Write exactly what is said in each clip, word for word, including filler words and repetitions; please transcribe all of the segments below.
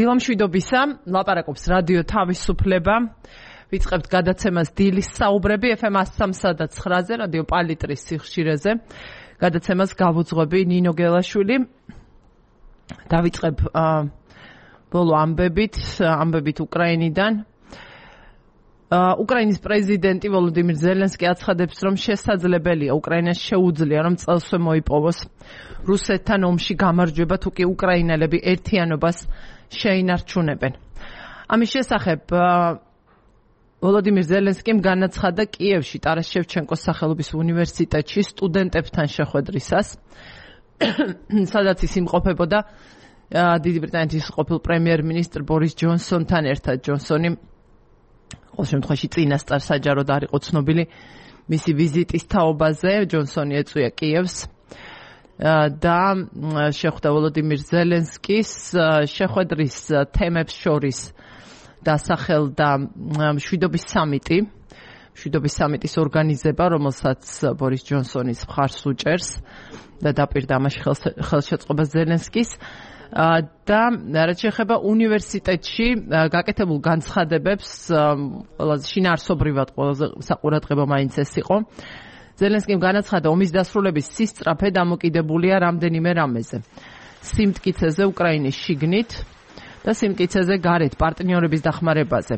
დილამშვიდობისა, ლაპარაკობს რადიო თავისუფლება. ვიწყებთ გადაცემას დილის საუბრები ეფ ემ one oh three და nine-ზე, რადიო პალიტრის სიხშირეზე. გადაცემას გავუძღვები ნინო გელაშვილი. დავიწყებ ბოლო ამბებით, ამბებით უკრაინიდან. უკრაინის პრეზიდენტი ვოლოდიმირ ზელენსკი აცხადებს, რომ შესაძლებელია უკრაინას შეუძლია, რომ წელსვე მოიპოვოს რუსეთთან ომში გამარჯვება, თუ კი უკრაინელები ერთიანობას შეინარჩუნებენ. ამის შესახებ ვოლოდიმირ ზელენსკიმ განაცხადა კიევში ტარას შევჩენკოს სახელობის უნივერსიტეტში სტუდენტებთან შეხვედრისას, სადაც ის იმყოფებოდა დიდი ბრიტანეთის ყოფილ პრემიერ-მინისტრ ბორის ჯონსონთან ერთად. ჯონსონი ყოველ შემთხვევაში წინასწარ საჯაროდ არ იყო ცნობილი მისი ვიზიტის თაობაზე. ჯონსონი ეწვია კიევს და შეხვდა ვოლოდიმირ ზელენსკის. შეხვედრის თემებს შორის დასახელდა მშვიდობის სამიტი, მშვიდობის სამიტის ორგანიზება, რომელსაც ბორის ჯონსონის მხარს უჭერს და დაპირდა ამაში ხელშეწყობა ზელენსკის. და რაც შეეხება უნივერსიტეტში გაკეთებულ განცხადებებს, ყველაზე შინაარსობრივად ყველაზე საყურადღებო მაინც ეს იყო. ზელენსკიმ განაცხადა, ომის დასრულების სისწრაფე დამოკიდებულია რამდენიმე რამეზე. სიმტკიცეზე უკრაინის შიგნით და სიმტკიცეზე გარეთ პარტნიორების დახმარებაზე.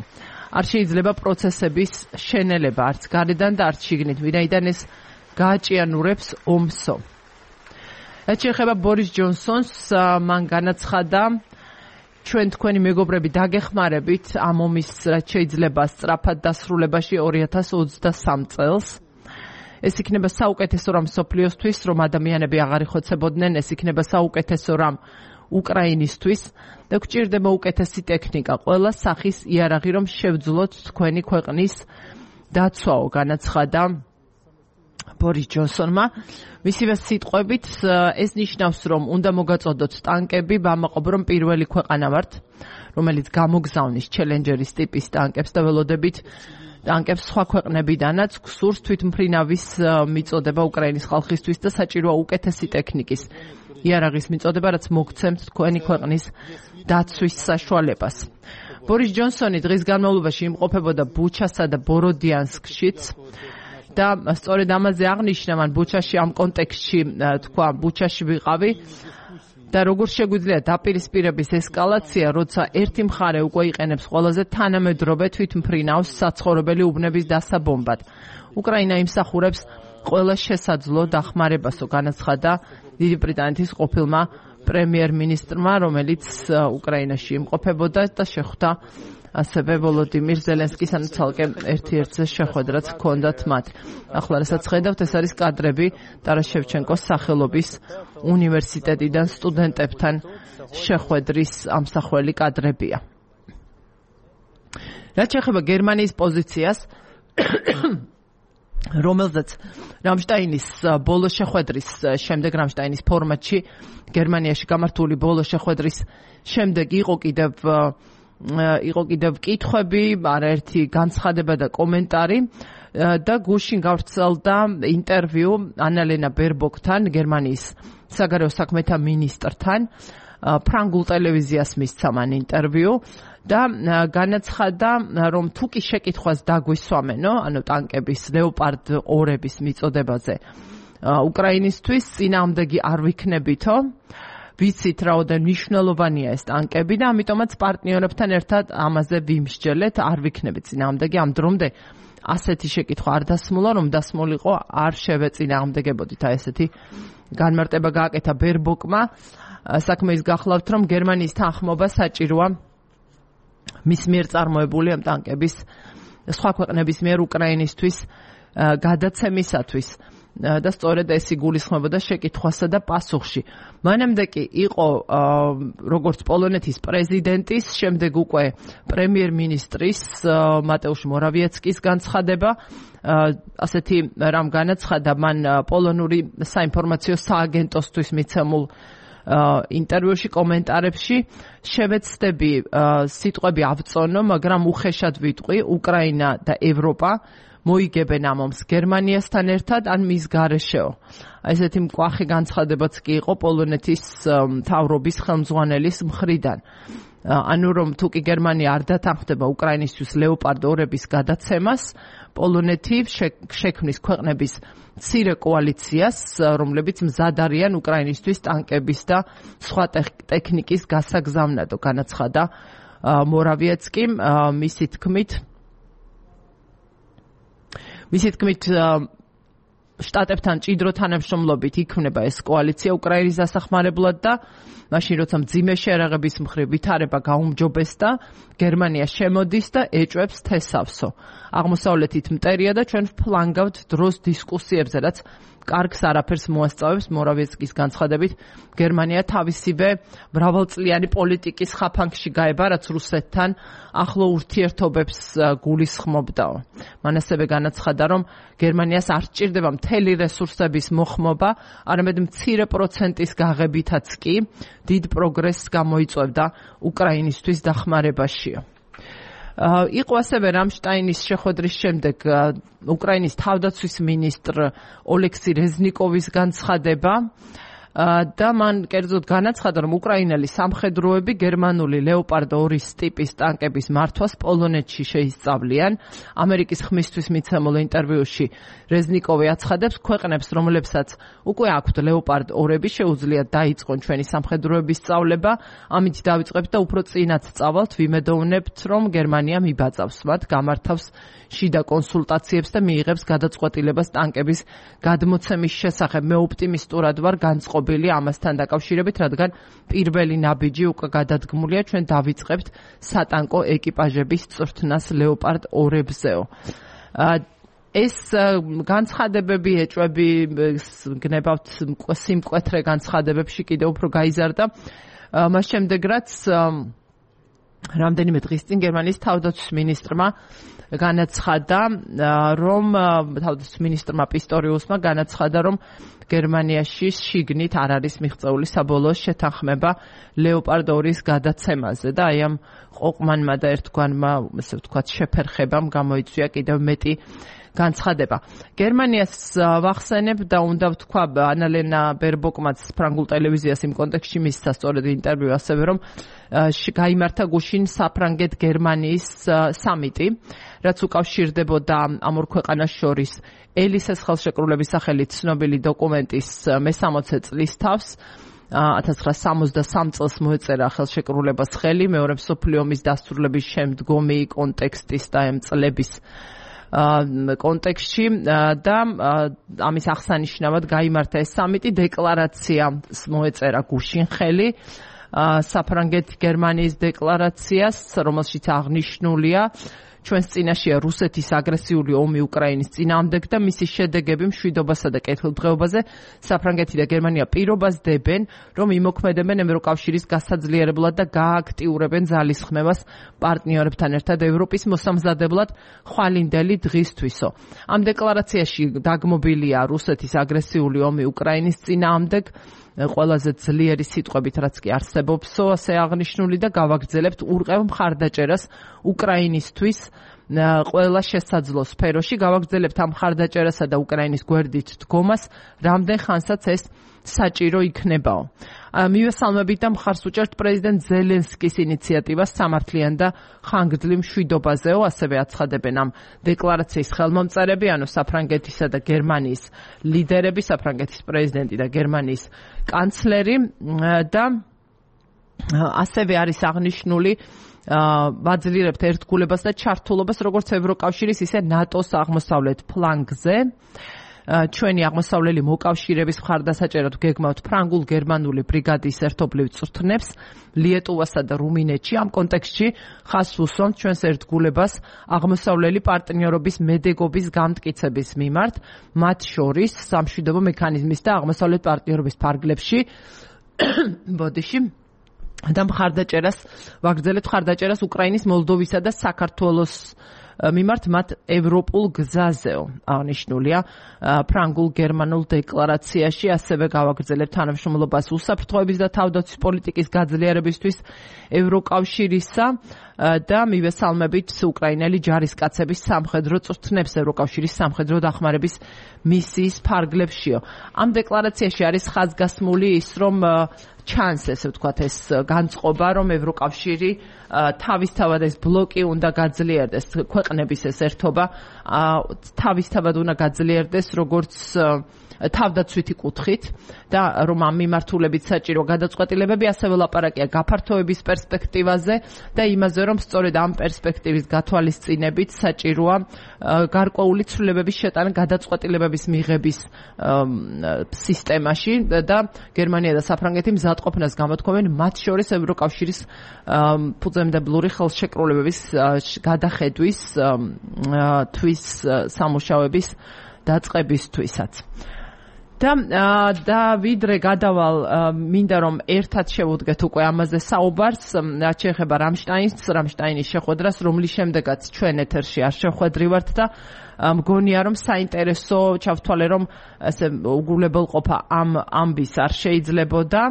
არ შეიძლება პროცესების შენელება არც გარედან და არც შიგნით, ვინაიდან ეს გააჭიანურებს ომსო. რაც შეეხება ბორის ჯონსონს, მან განაცხადა, ჩვენ თქვენი მეგობრები დაგეხმარებით ამ ომის რაც შეიძლება სწრაფად დასრულებაში ორი ათას ოცდასამ წელს. ეს იქნება საუკეთესო რამ მსოფლიოსთვის, რომ ადამიანები აღარ იხოცებოდნენ, ეს იქნება საუკეთესო რამ უკრაინისთვის და გვჭირდება უკეთესი ტექნიკა, ყველა სახის იარაღი, რომ შევძლოთ თქვენი ქვეყნის დაცვაო, განაცხადა ბორის ჯონსონმა. მისივე სიტყვებით, ეს ნიშნავს, რომ უნდა მოგაწოდოთ ტანკები, ვამაყობ, რომ პირველი ქვეყანა ვართ, რომელიც გამოგზავნის ჩელენჯერის ტიპის ტანკებს და ველოდებით ტანკებს სხვა ქვეყნებიდანაც. გსურს თვითმფრინავის მიწოდება უკრაინის ხალხისთვის და საჭიროა უკეთესი ტექნიკის იარაღის მიწოდება, რაც მოგცემთ თქვენი ქვეყნის დაცვის საშუალებას. ბორის ჯონსონი დღის განმავლობაში იმყოფებოდა ბუჩასა და ბოროდიანსკშიც და სწორედ ამაზე აღნიშნა, მან ბუჩაში ამ კონტექსტში თქვა, ბუჩაში ვიყავი და როგორ შეგვიძლია დაპირისპირების ესკალაცია, როცა ერთი მხარე უკვე იყენებს ყველაზე თანამედროვე თვითმფრინავს საცხოვრებელი უბნების დასაბომბად. უკრაინა იმსახურებს ყველა შესაძლო დახმარებასო, განაცხადა დიდი ბრიტანეთის ყოფილმა პრემიერ-მინისტრმა, რომელიც უკრაინაში იმყოფებოდა და შეხვდა ასევე ვოლოდიმირ ზელენსკის, ანუ ცალკე ერთ-ერთზე შეხვედრაც ჰქონდათ მათ. ახლა რასაც ხედავთ, ეს არის კადრები ტარას შევჩენკოს სახელობის უნივერსიტეტიდან სტუდენტებთან შეხვედრის ამსახველი კადრებია. რაც შეეხება გერმანიის პოზიციას, რომელზეც რამშტაინის ბოლო შეხვედრის შემდეგ, რამშტაინის ფორმატში გერმანიაში გამართული ბოლო შეხვედრის შემდეგ იყო კიდევ იყო კიდევ კითხვები, არაერთი განცხადება და კომენტარი და გუშინ გავრცელდა ინტერვიუ ანალენა ბერბოკთან, გერმანიის საგარეო საქმეთა მინისტრთან. ფრანგულ ტელევიზიას მისცა მან ინტერვიუ და განაცხადა, რომ თუ კი შეკითხვას დაგვისვამენო, ანუ ტანკების ლეოპარდ ორების მიწოდებაზე უკრაინისთვის, წინააღმდეგი არ ვიქნებითო. ვიცით რაოდენ მნიშვნელოვანია ეს ტანკები და ამიტომაც პარტნიორებთან ერთად ამაზე ვიმსჯელეთ, არ ვიქნებით წინააღმდეგი. ამ დრომდე ასეთი შეკითხვა არ დასმულა, რომ დასმულიყო არ შევეწინააღმდეგებოდით. აი ესეთი განმარტება გააკეთა ბერბოკმა. საქმე ის გახლავთ, რომ გერმანიის თანხმობა საჭიროა მის მიერ წარმოებული ამ ტანკების სხვა ქვეყნების მიერ უკრაინისთვის გადაცემისათვის. და სწორედ ეს იგულისხმებოდა შეკითხვასა და პასუხში. მანამდე კი იყო როგორც პოლონეთის პრეზიდენტის, შემდეგ უკვე პრემიერ-მინისტრის მატეუშ მორავიეცკის განცხადება. ასეთი რამ განაცხადა მან პოლონური საინფორმაციო სააგენტოსთვის მიცემულ ინტერვიუში, კომენტარებში. შევეცდები სიტყვები ავწონო, მაგრამ უხეშად ვიტყვი, უკრაინა და ევროპა მოიგებენ ამ ომს გერმანიასთან ერთად ან მის გარეშეო. ესეთი მკვახე განცხადებაც კი იყო პოლონეთის მთავრობის ხელმძღვანელის მხრიდან. ანუ რომ თუ კი გერმანია არ დათანხმდება უკრაინისთვის ლეოპარდ ორების გადაცემას, პოლონეთი შექმნის ქვეყნების მცირე კოალიციას, რომლებიც მზად არიან უკრაინისთვის ტანკების და სხვა ტექნიკის გასაგზავნადო, განაცხადა მორავიეცკიმ. მისი თქმით მისი თქმით შტატებთან ჭიდრო თანამშრომლობით იქმნება ეს კოალიცია უკრაინის დასახმარებლად და მაშინ როცა მძიმე შეერაღების მხრივ ვითარება გაუმჯობესდა, გერმანია შემოდის და ეჭვებს თესავსო. აღმოსავლეთით მტერია და ჩვენ ვფლანგავთ დროს დისკუსიებზე, რაც კარგს არაფერს მოასწავებს. მორავიეცკის განცხადებით, გერმანია თავისივე მრავალწლიანი პოლიტიკის ხაფანგში გაება, რაც რუსეთთან ახლო ურთიერთობებს გულისხმობდაო. მან ასევე განაცხადა, რომ გერმანიას არ სჭირდება მთელი რესურსების მოხმობა, არამედ მცირე პროცენტის გაღებითაც კი დიდ პროგრესს გამოიწვევდა უკრაინისთვის დახმარებაშიო. იყო ასევე რამშტაინის შეხვედრის შემდეგ უკრაინის თავდაცვის მინისტრ ოლექსი რეზნიკოვის განცხადება და მან კერძოდ განაცხადა, რომ უკრაინელი სამხედროები გერმანული ლეოპარდორის ტიპის ტანკების მართვას პოლონეთში შეისწავლიან. ამერიკის ხმისთვის მიცემულ ინტერვიუში რეზნიკოვი აცხადებს, ქვეყნებს, რომლებსაც უკვე აქვთ ლეოპარდ ორები, შეუძლიათ დაიწყონ ჩვენი სამხედროების სწავლება. ამით დავიწყებთ და უფრო წინათ წავალთ, ვიმედოვნებთ, რომ გერმანია მიბაწავს მათ, გამართავს შიდა კონსულტაციებს და მიიღებს გადაწყვეტილებას ტანკების გადმოცემის შესახებ. მე ოპტიმისტურად ვარ განწყობილი ამასთან დაკავშირებით, რადგან პირველი ნაბიჯი უკვე გადადგმულია, ჩვენ დავიწყებთ სატანკო ეკიპაჟების წვრთნას ლეოპარდ ორებზეო. ეს განცხადებები, ეჭვები გნებავთ სიმკვეთრე განცხადებებში კიდევ უფრო გაიზარდა. მას შემდეგ რაც რამდენიმე დღის წინ გერმანიის თავდაცვის მინისტრმა განაცხადა, რომ თავდაცვის მინისტრმა პისტორიუსმა განაცხადა, რომ გერმანიაში შიგნით არ არის მიღწეული საბოლოო შეთანხმება ლეოპარდ ორის გადაცემაზე და აი ამ ყოყმანმა და ერთგვარმა, ესე ვთქვათ, შეფერხებამ გამოიწვია კიდევ მეტი განცხადება. გერმანიას ვახსენებ და უნდა ვთქვა, ანალენა ბერბოკმაც ფრანგულ ტელევიზიას იმ კონტექსტში მისცა სწორედ ინტერვიუ ასევე, რომ გაიმართა გუშინ საფრანგეთ-გერმანიის სამიტი, რაც უკავშირდებოდა ამ ორ ქვეყანას შორის ელისეს ხელშეკრულების სახელით ცნობილი დოკუმენტის მესამოცე წლის თავს. ათას ცხრაასა სამოცდასამ წელს მოეწერა ხელშეკრულებას ხელი მეორე მსოფლიო ომის დასრულების შემდგომი კონტექსტის და ამ წლების კონტექსტში და ამის აღსანიშნავად გაიმართა ეს სამიტი. დეკლარაციას მოეწერა გუშინ ხელი საფრანგეთ-გერმანიის დეკლარაციას, რომელშიც აღნიშნულია ჩვენს წინაშეა რუსეთის აგრესიული ომი უკრაინის წინააღმდეგ და მისი შედეგები მშვიდობასა და კეთილდღეობაზე. საფრანგეთი და გერმანია პირობას დებენ, რომ იმოქმედებენ ევროკავშირის გასაძლიერებლად და გააქტიურებენ ძალისხმევას პარტნიორებთან ერთად ევროპის მოსამზადებლად ხვალინდელი დღისთვისო. ამ დეკლარაციაში დაგმობილია რუსეთის აგრესიული ომი უკრაინის წინააღმდეგ, ყველაზე ძლიერი სიტყვებით, რაც კი არსებობსო, ასე აღნიშნული და გავაგრძელებთ ურყევ მხარდაჭერას უკრაინისთვის ყველა შესაძლო სფეროში. გავაგრძელებთ ამ მხარდაჭერასა და უკრაინის გვერდით დგომას, რამდენ ხანსაც ეს საჭირო იქნებაო. მივესალმებით და მხარს უჭერთ პრეზიდენტ ზელენსკის ინიციატივას სამართლიან და ხანგრძლივ მშვიდობაზეო, ასევე აცხადებენ ამ დეკლარაციის ხელმომწერები, ანუ საფრანგეთისა და გერმანიის ლიდერები, საფრანგეთის პრეზიდენტი და გერმანიის კანცლერი და ასევე არის აღნიშნული ვაძლიერებთ ერთგულებას და ჩართულობას როგორც ევროკავშირის, ისე ნატოს აღმოსავლეთ ფლანგზე. ჩვენი აღმოსავლელი მოკავშირეების მხარდასაჭერად გეგმავთ ფრანგულ-გერმანული ბრიგადის ერთობლივ წვრთნებს ლიეტუვასა და რუმინეთში. ამ კონტექსტში ხაზს უსვამთ ჩვენს ერთგულებას აღმოსავლელი პარტნიორობის მედეგობის გამტკიცების მიმართ, მათ შორის სამშვიდობო მექანიზმის და აღმოსავლეთ პარტნიორობის ფარგლებში ბოდიში და მხარდაჭერას ვაგრძელებთ მხარდაჭერას უკრაინის, მოლდოვისა და საქართველოს მიმართ მათ ევროპულ გზაზეო. აღნიშნულია ფრანგულ-გერმანულ დეკლარაციაში. ასევე გავაგრძელებთ თანამშრომლობას უსაფრთხოების და თავდაცვის პოლიტიკის გაძლიერებისთვის ევროკავშირისა და მივესალმებით უკრაინელი ჯარისკაცების სამხედრო წვრთნებს ევროკავშირის სამხედრო დახმარების მისიის ფარგლებშიო. ამ დეკლარაციაში არის ხაზგასმული ის, რომ ჩანს, ესე ვთქვათ, ეს განწყობა, რომ ევროკავშირი თავისთავად ეს ბლოკი უნდა გაძლიერდეს, ქვეყნების ეს ერთობა თავისთავად უნდა გაძლიერდეს, როგორც თავდაცვითი კუთხით და რომ ამ მიმართულებით საჭირო გადაწყვეტილებები ასევე ლაპარაკია გაფართოების პერსპექტივაზე და იმაზე, რომ სწორედ ამ პერსპექტივის გათვალისწინებით საჭიროა გარკვეული ცვლილებების შეტანა გადაწყვეტილებების მიღების სისტემაში და გერმანია და საფრანგეთი მზადყოფნას გამოთქვამენ მათ შორის ევროკავშირის ფუძემდებლური ხელშეკრულებების გადახედვის თვის სამუშაოების დაწყებისთვისაც. და და ვიდრე გადავალ მინდა რომ ერთად შევუდგეთ უკვე ამაზე საუბარს, რაც შეეხება რამშტაინს, რამშტაინის შეხვედრას, რომლის შემდეგაც ჩვენ ეთერში არ შევხვედრივართ და მგონია რომ საინტერესო ჩავთვალე რომ ესე უგულებელყოფა ამ ამბის არ შეიძლებოდა.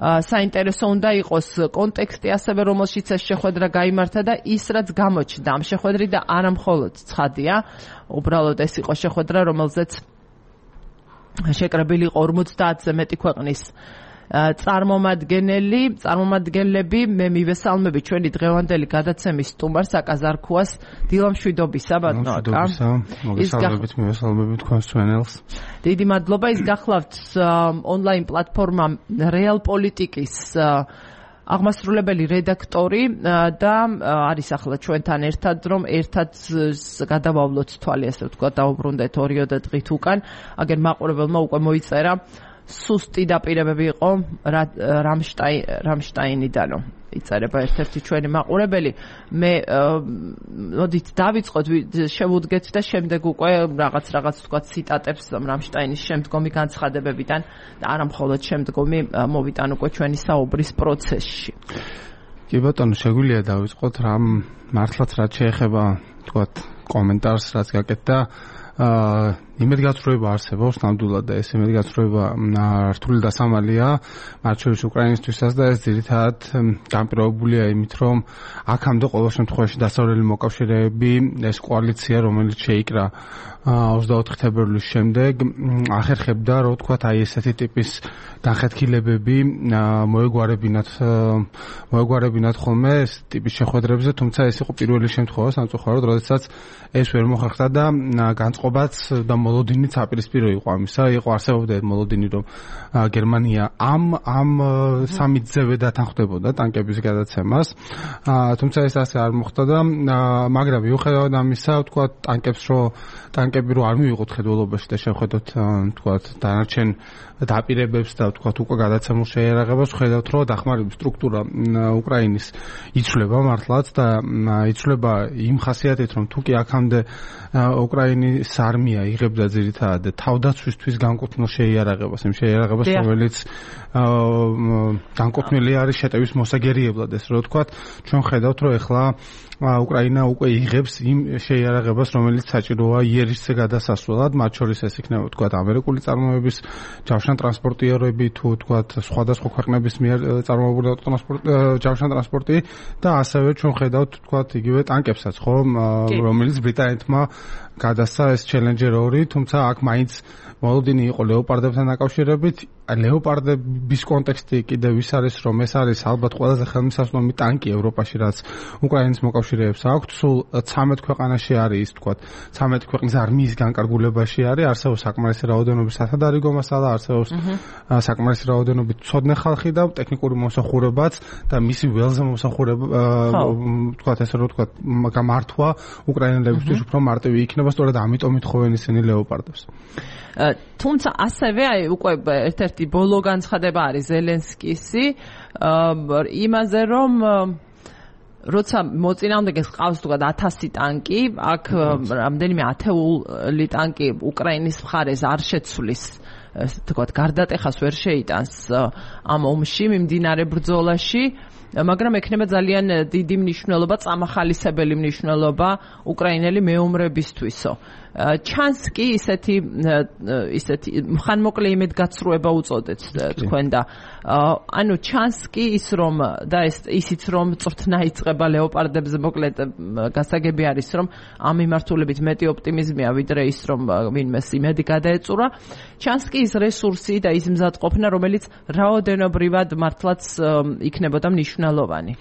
საინტერესო უნდა იყოს კონტექსტი ასევე რომელშიც ეს შეხვედრა გაიმართა და ის რაც გამოჩნდა ამ შეხვედრით და არა მხოლოდ ცხადია, უბრალოდ ეს იყო შეხვედრა რომელზეც შეკრებილი იყო ორმოცდაათზე მეტი ქვეყნის წარმომადგენელი, წარმომადგენლები. მე მივესალმები ჩვენი დღევანდელი გადაცემის სტუმარს აკაზარქუას დილამშვიდობისა ბატონო აკა. მოგესალმებით, მივესალმებით თქვენს ჩვენელს. დიდი მადლობა. ის გახლავთ ონლაინ პლატფორმა რეალ პოლიტიკის აღმასრულებელი რედაქტორი და არის ახლა ჩვენთან ერთად, რომ ერთად გადავავლოთ თვალი, ასე ვთქვათ, დაუბრუნდეთ ორიოდე დღით უკან. აგერ მაყურებელმა უკვე მოიწერა სუსტი დაპირებები იყო რამშტაინიდანო. იწერება ერთ-ერთი ჩვენი მაყურებელი. მე მოდით დავიწყოთ, შევუდგეთ და შემდეგ უკვე რაღაც რაღაც ვთქვათ ციტატებს რამშტაინის შემდგომი განცხადებებიდან და არა მხოლოდ შემდგომი მოვიტან უკვე ჩვენი საუბრის პროცესში. კი ბატონო, შეგვიძლია დავიწყოთ რამ მართლაც რაც შეეხება ვთქვათ კომენტარს რაც გაკეთდა. იმედგაცრუება არსებობს ნამდვილად და ეს იმედგაცრუება რთული დასამალია მათ შორის უკრაინისთვისაც და ეს ძირითადად განპირობებულია იმით, რომ აქამდე ყოველ შემთხვევაში დასავლელი მოკავშირეები, ეს კოალიცია, რომელიც შეიკრა ოცდაოთხი თებერვლის შემდეგ, ახერხებდა, რომ ვთქვათ, აი ესეთი ტიპის განხეთქილებები მოეგვარებინათ მოეგვარებინათ ხოლმე ეს ტიპის შეხვედრებზე, თუმცა ეს იყო პირველი შემთხვევა სამწუხაროდ, როდესაც ეს ვერ მოხერხდა და განწყობაც და მოლოდინიც აპირისპირო იყო ამისა, იყო არსებობდა მოლოდინი, რომ გერმანია ამ ამ სამიტზევე დათანხმდებოდა ტანკების გადაცემას, თუმცა ეს ასე არ მოხდა და მაგრამ მიუხედავად ამისა, ვთქვათ, ტანკებს რო ტანკები რო არ მივიღოთ ხედველობაში და შევხედოთ, ვთქვათ, დანარჩენ დაპირებებს და ვთქვათ, უკვე გადაცემულ შეიარაღებას, ვხედავთ, რომ დახმარების სტრუქტურა უკრაინის იცვლება მართლაც და იცვლება იმ ხასიათით, რომ თუ კი აქამდე უკრაინის არმია იღებდა ძირითადად თავდაცვისთვის განკუთვნილ შეიარაღებას, იმ შეიარაღებას, რომელიც განკუთვნილი არის შეტევის მოსაგერიებლად, ეს რო ვთქვათ, ჩვენ ხედავთ, რომ ეხლა უკრაინა უკვე იღებს იმ შეიარაღებას, რომელიც საჭიროა იერიშზე გადასასვლელად, მათ შორის ეს იქნება, ვთქვათ, ამერიკული წარმოების ჯავშან ტრანსპორტიერები, თუ ვთქვათ, სხვადასხვა ქვეყნების მიერ წარმოებული ჯავშან ტრანსპორტი და ასევე ჩვენ ხედავთ, ვთქვათ, იგივე ტანკებსაც, ხო, რომელიც ბრიტანეთმა გადასცა ეს ჩელენჯერ ორი, თუმცა აქ მაინც მოლოდინი იყო ლეოპარდებთან დაკავშირებით. ლეოპარდების კონტექსტი კიდევ ის არის, რომ ეს არის ალბათ ყველაზე ხელმისაწვდომი ტანკი ევროპაში, რაც უკრაინის მოკავშირეებს აქვს. სულ ცამეტ ქვეყანაში არის, ვთქვათ, ცამეტ ქვეყნის არმიის განკარგულებაში არის, არსებობს საკმარისი რაოდენობის სათადარიგო მასალა, არსებობს საკმარისი რაოდენობით ცოდნე ხალხი და ტექნიკური მომსახურებაც და მისი ველზე მომსახურება, ვთქვათ, ესე რომ ვთქვათ, გამართვა უკრაინელებისთვის უფრო მარტივი იქნება, სწორედ ამიტომ ითხოვენ ისინი ლეოპარდებს. თუმცა ასევე აი უკვე ერთ-ერთი ბოლო განცხადება არის ზელენსკისი იმაზე, რომ როცა მოწინააღმდეგეს ყავს თქვა ათასი ტანკი, აქ რამდენიმე ათეული ტანკი უკრაინის მხარეს არ შეცვლის, თქვა გარდატეხას ვერ შეიტანს ამ ომში მიმდინარე ბრძოლაში მაგრამ ექნება ძალიან დიდი მნიშვნელობა, წამახალისებელი მნიშვნელობა უკრაინელი მეომრებისთვისო. ჩანს კი ისეთი ისეთი ხანმოკლე იმედგაცრუება უწოდეთ თქვენ და ანუ ჩანს კი ის რომ და ეს ისიც რომ წვრთნა იწყება ლეოპარდებზე მოკლედ გასაგები არის რომ ამ მიმართულებით მეტი ოპტიმიზმია ვიდრე ის რომ ვინმეს იმედი გადაეწურა ჩანს კი ის რესურსი და ის მზადყოფნა რომელიც რაოდენობრივად მართლაც იქნებოდა მნიშვნელოვანი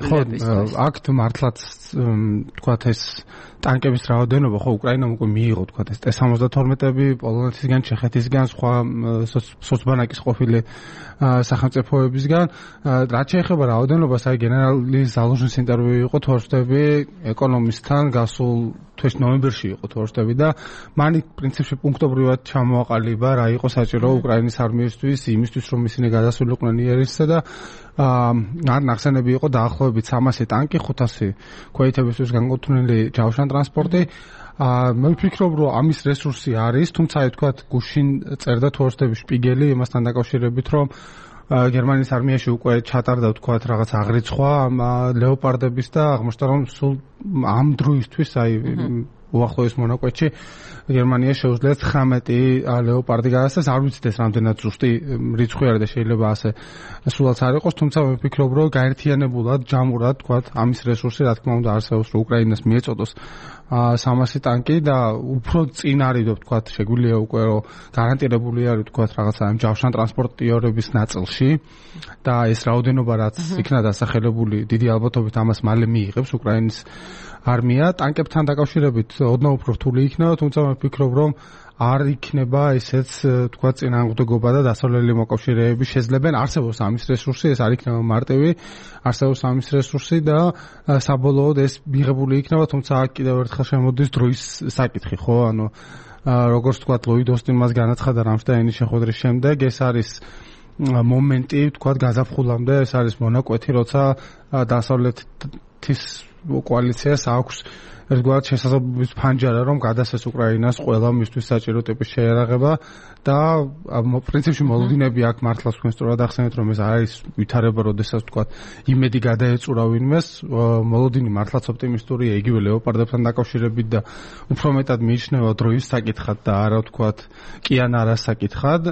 ხო აქ მართლაც თქვათ ეს ტანკების რაოდენობა ხო უკრაინამ უკვე მიიღო თქვათ ეს T სამოცდათორმეტები პოლონეთისგან, ჩეხეთისგან, სხვა სოცბანაკის ყოფილი სახელმწიფოებისგან. რაც შეეხება რაოდენობას, აი გენერალი ზალუჟნის ინტერვიუ იყო თუ არ ვთქვი ეკონომისტთან გასულ თვეში ნოემბერში იყო თუ არ ვთქვი და მან პრინციპში პუნქტობრივად ჩამოაყალიბა რა იყო საჭირო უკრაინის არმიისთვის, იმისთვის რომ ისინი გადასულიყვნენ იერიშსა და არ ნახსენები იყო დაახლოებით სამასი ტანკი, ხუთასი ქვეითებისთვის განკუთვნილი ჯავშან ტრანსპორტი. მე ვფიქრობ რომ ამის რესურსი არის, თუმცა აი თქვათ გუშინ წერდა თუ არ ვთქვი შპიგელი იმასთან დაკავშირებით რომ გერმანიის არმიაში უკვე ჩატარდა თქვათ რაღაც აღრიცხვა ამ ლეოპარდების და აღმოჩნდა რომ სულ ამ დროისთვის აი უახლოეს მონაკვეთში გერმანია შეუძლია ცხრამეტი ლეოპარდი გადასცეს, არ ვიცით ეს რამდენად ზუსტი რიცხვი არის და შეიძლება ასე სულაც არ იყოს, თუმცა მე ვფიქრობ რომ გაერთიანებულად, ჯამურად თქვათ ამის რესურსი რა თქმა უნდა არსებობს რომ უკრაინას მიეწოდოს სამასი ტანკი და უფრო წინ არის თქვათ შეგვიძლია უკვე რომ გარანტირებული არის თქვათ რაღაცა ამ ჯავშან ტრანსპორტიორების ნაწილში და ეს რაოდენობა რაც იქნა დასახელებული დიდი ალბათობით ამას მალე მიიღებს უკრაინის არმია ტანკებთან დაკავშირებით ოდნავ უფრო რთული იქნება, თუმცა მე ვფიქრობ რომ არ იქნება ესეც თქვათ წინააღმდეგობა და დასავლელი მოკავშირეები შეძლებენ არსებობს ამის რესურსი, ეს არ იქნება მარტივი, არსებობს ამის რესურსი და საბოლოოდ ეს მიღებული იქნება, თუმცა აქ კიდევ ერთხელ შემოდის დროის საკითხი, ხო, ანუ როგორც თქვათ ლოიდ ოსტინი მას განაცხადა რამშტაინის შეხვედრის შემდეგ, ეს არის მომენტი თქვათ გაზაფხულამდე, ეს არის მონაკვეთი, როცა დასავლეთის კოალიციას აქვს ერთგვარად შესაძლებლობის ფანჯარა რომ გადასცეს უკრაინას ყველა მისთვის საჭირო ტიპის შეერაღება და პრინციპში მოლოდინები აქ მართლაც თქვენ სწორად ახსენეთ რომ ეს არის ვითარება როდესაც თქვათ იმედი გადაეწურა ვინმეს მოლოდინი მართლაც ოპტიმისტურია იგივე ლეოპარდებთან დაკავშირებით და უფრო მეტად მიიჩნევა დროის საკითხად და არა თქვათ კი ან არა საკითხად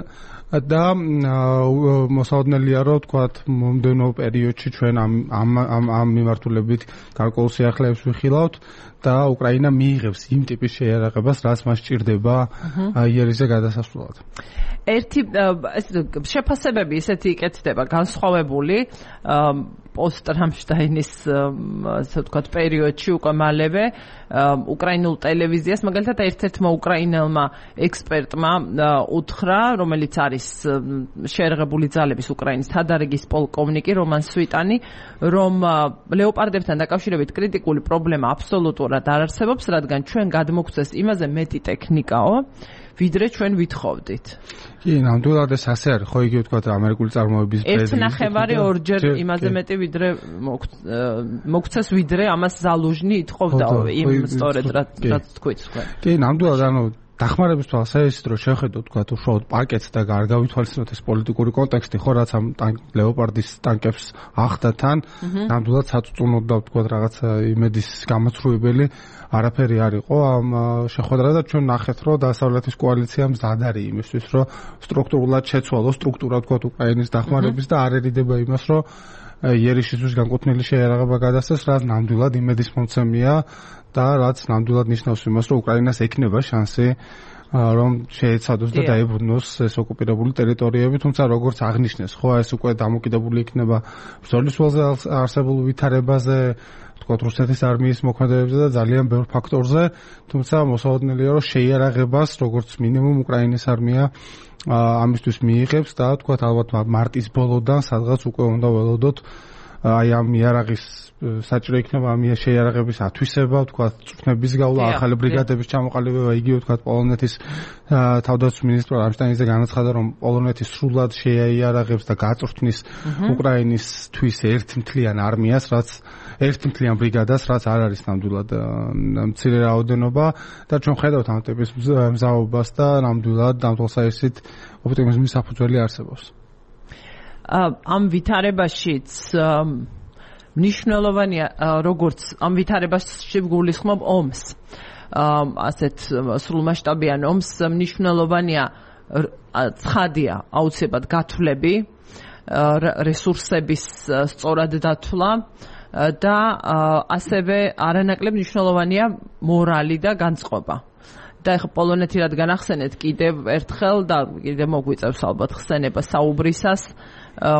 და მოსაოდნელია რომ თქვათ მომდევნო პერიოდში ჩვენ ამ ამ ამ მიმართულებით გარკვეულ სიახლეებს ვიხილავთ და უკრაინა მიიღებს იმ ტიპის შეერაღებას, რაც მას სჭირდება იერიშზე გადასასვლელად. ერთი შეფასებები ისეთი იკეთდება განსხვავებული პოსტ რამშტაინის ასე ვთქვათ პერიოდში უკვე მალევე უკრაინულ ტელევიზიას მაგალითად ერთ-ერთმა უკრაინელმა ექსპერტმა უთხრა, რომელიც არის შეერაღებული ძალების უკრაინის თადარიგის პოლკოვნიკი რომან სვიტანი, რომ ლეოპარდებთან დაკავშირებით კრიტიკული პრობლემა აბსოლუტურად არ არსებობს, რადგან ჩვენ გადმოგცეს იმაზე მეტი ტექნიკაო, ვიდრე ჩვენ ვითხოვდით. კი, ნამდვილად ეს ასე არის, ხო იგივე თქვა ამერიკული წარმოების ერთ ნახევარი ორჯერ იმაზე მეტი ვიდრე მოგცეს ვიდრე ამას ზალუჟნი ითხოვდა იმ სწორედ რაც თქვით თქვენ. კი, ნამდვილად ანუ დახმარების თვალსაზრისით რომ შევხედოთ თქვა უშუალოდ პაკეტს და არ გავითვალისწინოთ ეს პოლიტიკური კონტექსტი, ხო რაც ამ ლეოპარდის ტანკებს ახდა თან, ნამდვილად საწუწუნოდ და თქვა რაღაც იმედის გამოცრუებელი არაფერი არ იყო ამ შეხვედრა და ჩვენ ნახეთ რომ დასავლეთის კოალიცია მზად არის იმისთვის რომ სტრუქტურულად შეცვალოს სტრუქტურა თქვა უკრაინის დახმარების და არ ერიდება იმას რომ იერიშისთვის განკუთვნილი შეერაღება გადასცეს, რაც ნამდვილად იმედის მომცემია და რაც ნამდვილად ნიშნავს იმას რომ უკრაინას ექნება შანსი რომ შეეცადოს და დაებრუნოს ეს ოკუპირებული ტერიტორიები, თუმცა როგორც აღნიშნეს, ხო ეს უკვე დამოკიდებული იქნება ბრძოლის ველზე არსებულ ვითარებაზე, თქვა რუსეთის არმიის მოქმედებებზე და ძალიან ბევრ ფაქტორზე, თუმცა მოსაოდნელია რომ შეიარაღებას როგორც მინიმუმ უკრაინის არმია ამისთვის მიიღებს და თქვა ალბათ მარტის ბოლოდან სადღაც უკვე უნდა ველოდოთ აი ამ იარაღის საჭირო იქნება ამ შეიარაღების ათვისება, თქვა წვრთნების გავლა, ახალი ბრიგადების ჩამოყალიბება, იგივე თქვა პოლონეთის თავდაცვის მინისტრო რამშტაინზე განაცხადა რომ პოლონეთი სრულად შეიარაღებს და გაწვრთნის უკრაინისთვის ერთმთლიან არმიას, რაც ერთმთლიან ბრიგადას, რაც არ არის ნამდვილად მცირე რაოდენობა და ჩვენ ხედავთ ამ ტიპის მზაობას და ნამდვილად ამ თვალსაზრისით ოპტიმიზმის საფუძველი არსებობს. ამ ვითარებაშიც მნიშვნელოვანია როგორც ამ ვითარებაში გულისხმობ ომს. ასეთ სრულმასშტაბიან ომს მნიშვნელოვანია ცხადია აუცილებლად გათვლები, რესურსების სწორად დათვლა და ასევე არანაკლებ მნიშვნელოვანია მორალი და განწყობა. და ეხლა პოლონეთი რადგან ახსენეთ კიდევ ერთხელ და კიდევ მოგვიწევს ალბათ ხსენება საუბრისას,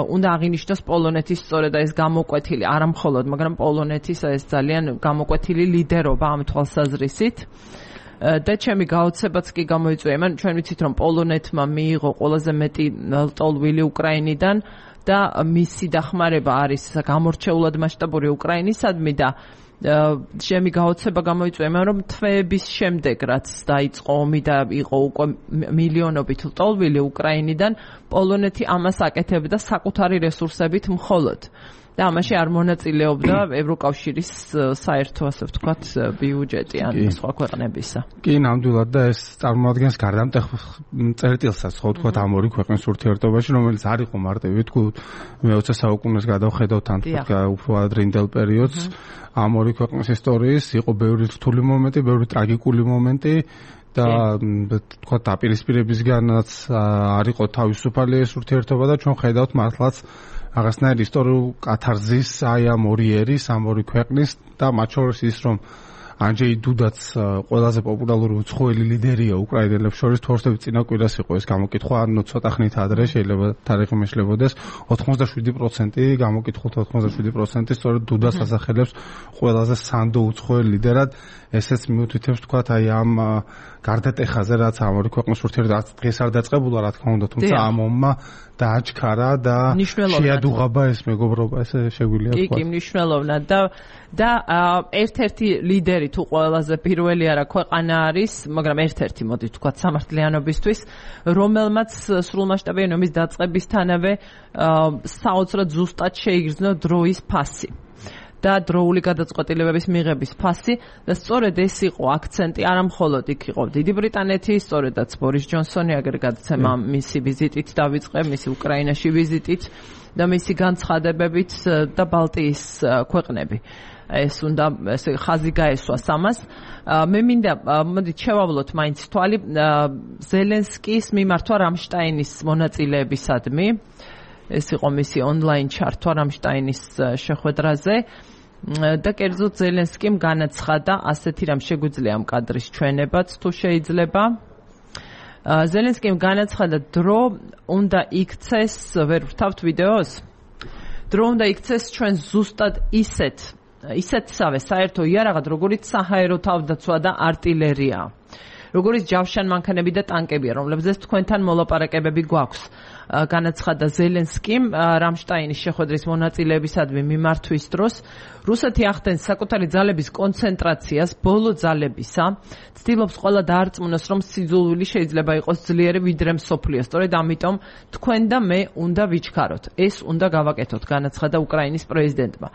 უნდა აღინიშნოს პოლონეთის სწორედ ეს გამოკვეთილი, არა მხოლოდ, მაგრამ პოლონეთის ეს ძალიან გამოკვეთილი ლიდერობა ამ თვალსაზრისით. და ჩემი გაოცებაც კი გამოიწვია, მან ჩვენ ვიცით რომ პოლონეთმა მიიღო ყველაზე მეტი ლტოლვილი უკრაინიდან და მისი დახმარება არის გამორჩეულად მასშტაბური უკრაინისადმი და ჩემი გაოცება გამოიწვია, რომ თვეების შემდეგ რაც დაიწყო ომი და იყო უკვე მილიონობით ლტოლვილი უკრაინიდან, პოლონეთი ამას აკეთებდა საკუთარი რესურსებით მხოლოდ. და ამაში არ მონაწილეობდა ევროკავშირის საერთო, ასე ვთქვათ, ბიუჯეტი ან სხვა ქვეყნებისა. კი, ნამდვილად და ეს წარმოადგენს გარდამტეხ წერტილსაც, ხო ვთქვათ, ამ ორი ქვეყნის ურთიერთობაში, რომელიც არ იყო მარტივი, ვთქვათ, მეოცე საუკუნეს გადავხედავთ ან უფრო ადრინდელ პერიოდს, ამ ორი ქვეყნის ისტორიის იყო ბევრი რთული მომენტი, ბევრი ტრაგიკული მომენტი და თქვა დაპირისპირებისგანაც არ იყო თავისუფალი ეს ურთიერთობა და ჩვენ ხედავთ მართლაც რაღაცნაირ ისტორიულ კათარზის აი ამ ორი ერის, ამ ორი ქვეყნის და მათ შორის ის რომ ანჯეი დუდაც ყველაზე პოპულარული უცხოელი ლიდერია უკრაინელებს შორის, თორსები წინა კვირას იყო ეს გამოკითხვა, ანუ ცოტა ხნით ადრე შეიძლება თარიღი მეშლებოდეს, ოცდაშვიდი პროცენტი გამოკითხულთა ოცდაშვიდი პროცენტი სწორედ დუდას ასახელებს ყველაზე სანდო უცხოელ ლიდერად. ესეც მიუთითებს თქვათ აი ამ გარდატეხაზე, რაც ამ ორი ქვეყნის ურთიერთობა დღეს არ დაწყებულა, რა თქმა უნდა, თუმცა ამ ომმა დააჩქარა და შეადუღაბა ეს მეგობრობა, ესე შეგვიძლია თქვა. კი, კი, მნიშვნელოვნად და და ერთ-ერთი ლიდერი თუ ყველაზე პირველი არა ქვეყანა არის, მაგრამ ერთ-ერთი მოდი ვთქვათ სამართლიანობისთვის, რომელმაც სრულმასშტაბიანი ომის დაწყებისთანავე საოცრად ზუსტად შეიგრძნო დროის ფასი. და დროული გადაწყვეტილებების მიღების ფასი და სწორედ ეს იყო აქცენტი, არა მხოლოდ იქ იყო დიდი ბრიტანეთი, სწორედაც ბორის ჯონსონი აგრეგატცემა მისი ვიზიტით დავიწყე, მისი უკრაინაში ვიზიტით და მისი განცხადებებით და ბალტიის ქვეყნები. ეს უნდა ესე ხაზი გაესვას ამას. მე მინდა მოდით შევავლოთ მაინც თვალი ზელენსკის მიმართვა რამშტაინის მონაწილეებისადმი. ეს იყო მისი ონლაინ ჩართვა რამშტაინის შეხვედრაზე. და კერძოდ ზელენსკიმ განაცხადა ასეთი რამ შეგვიძლია ამ კადრის ჩვენებაც თუ შეიძლება. ზელენსკიმ განაცხადა დრო უნდა იქცეს, ვერ ვთავთ ვიდეოს? დრო უნდა იქცეს ჩვენ ზუსტად ისეთ, ისეთსავე საერთო იარაღად, როგორიც საჰაერო თავდაცვა და артиლერია. როგორც ჯავშან მანქანები და ტანკებია, რომლებზეც თქვენთან მოლაპარაკებები გვაქვს. განაცხადა ზელენსკიმ რამშტაინის შეხვედრის მონაწილეებისადმი მიმართვის დროს, რუსეთი ახდენს საკუთარი ძალების კონცენტრაციას ბოლო ძალებისა, ცდილობს ყველა დაარწმუნოს, რომ სიძულვილი შეიძლება იყოს ძლიერი ვიდრე მსოფლიო. სწორედ ამიტომ თქვენ და მე უნდა ვიჩქაროთ. ეს უნდა გავაკეთოთ, განაცხადა უკრაინის პრეზიდენტმა.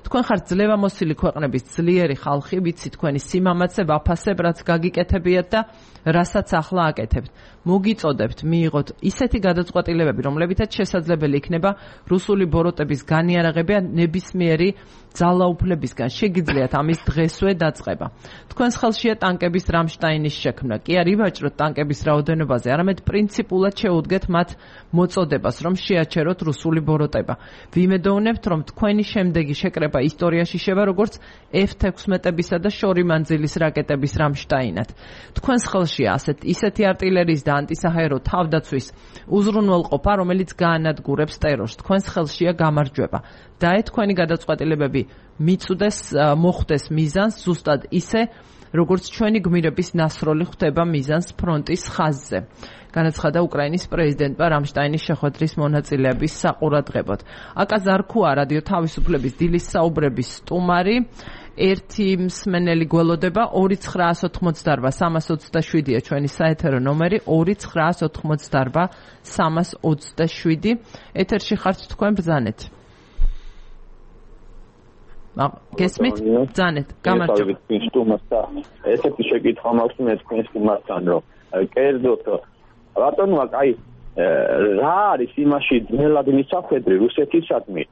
თქვენ ხართ ძლევამოსილი ქვეყნების ძლიერი ხალხი, ვიცი თქვენი სიმამაცე ვაფასებ, რაც გაგიკეთებიათ და რასაც ახლა აკეთებთ. მოგიწოდებთ მიიღოთ ისეთი გადაწყვეტილებები, რომლებითაც შესაძლებელი იქნება რუსული ბოროტების განიარაღება ნებისმიერი ძალაუფლებისგან. შეგიძლიათ ამის დღესვე დაწყება. თქვენს ხელშია ტანკების რამშტაინის შექმნა. კი არ ივაჭროთ ტანკების რაოდენობაზე, არამედ პრინციპულად შეუდგეთ მათ მოწოდებას, რომ შეაჩეროთ რუსული ბოროტება. ვიმედოვნებთ, რომ თქვენი შემდეგი შეკრება ისტორიაში შევა როგორც ეფ ექვსმეტებისა და შორი მანძილის რაკეტების რამშტაინად. თქვენს ხელშია ასეთ ისეთი артиლერიის და ანტისაჰაერო თავდაცვის უზრუნველყოფა, რომელიც გაანადგურებს ტერორს. თქვენს ხელშია გამარჯვება. და თქვენი გადაწყვეტილებები მიწვდეს, მოხდეს მიზანს ზუსტად ისე, როგორც ჩვენი გმირების ნასროლი ხვდება მიზანს ფრონტის ხაზზე. განაცხადა უკრაინის პრეზიდენტმა რამშტაინის შეხვედრის მონაწილეების საყურადღებოდ. აკა ზარქუა რადიო თავისუფლების დილის საუბრების სტუმარი, ერთი მსმენელი გველოდება ორი ცხრაას ოთხმოცდაარბა სამას ოცდაშვიდია ჩვენი საეთერო ნომერი ორი ცხრაას ოთხმოცდაარბა სამას ოცდაშვიდი. ეთერში ხართ თქვენ ბრძანეთ. გესმით? ბრძანეთ. გამარჯობა. ესეთი შეკითხვა მაქვს მე თქვენ სტუმართან, რომ კერძოდ რატომ აი რა არის იმაში ძნელად მისახვედრი რუსეთისადმი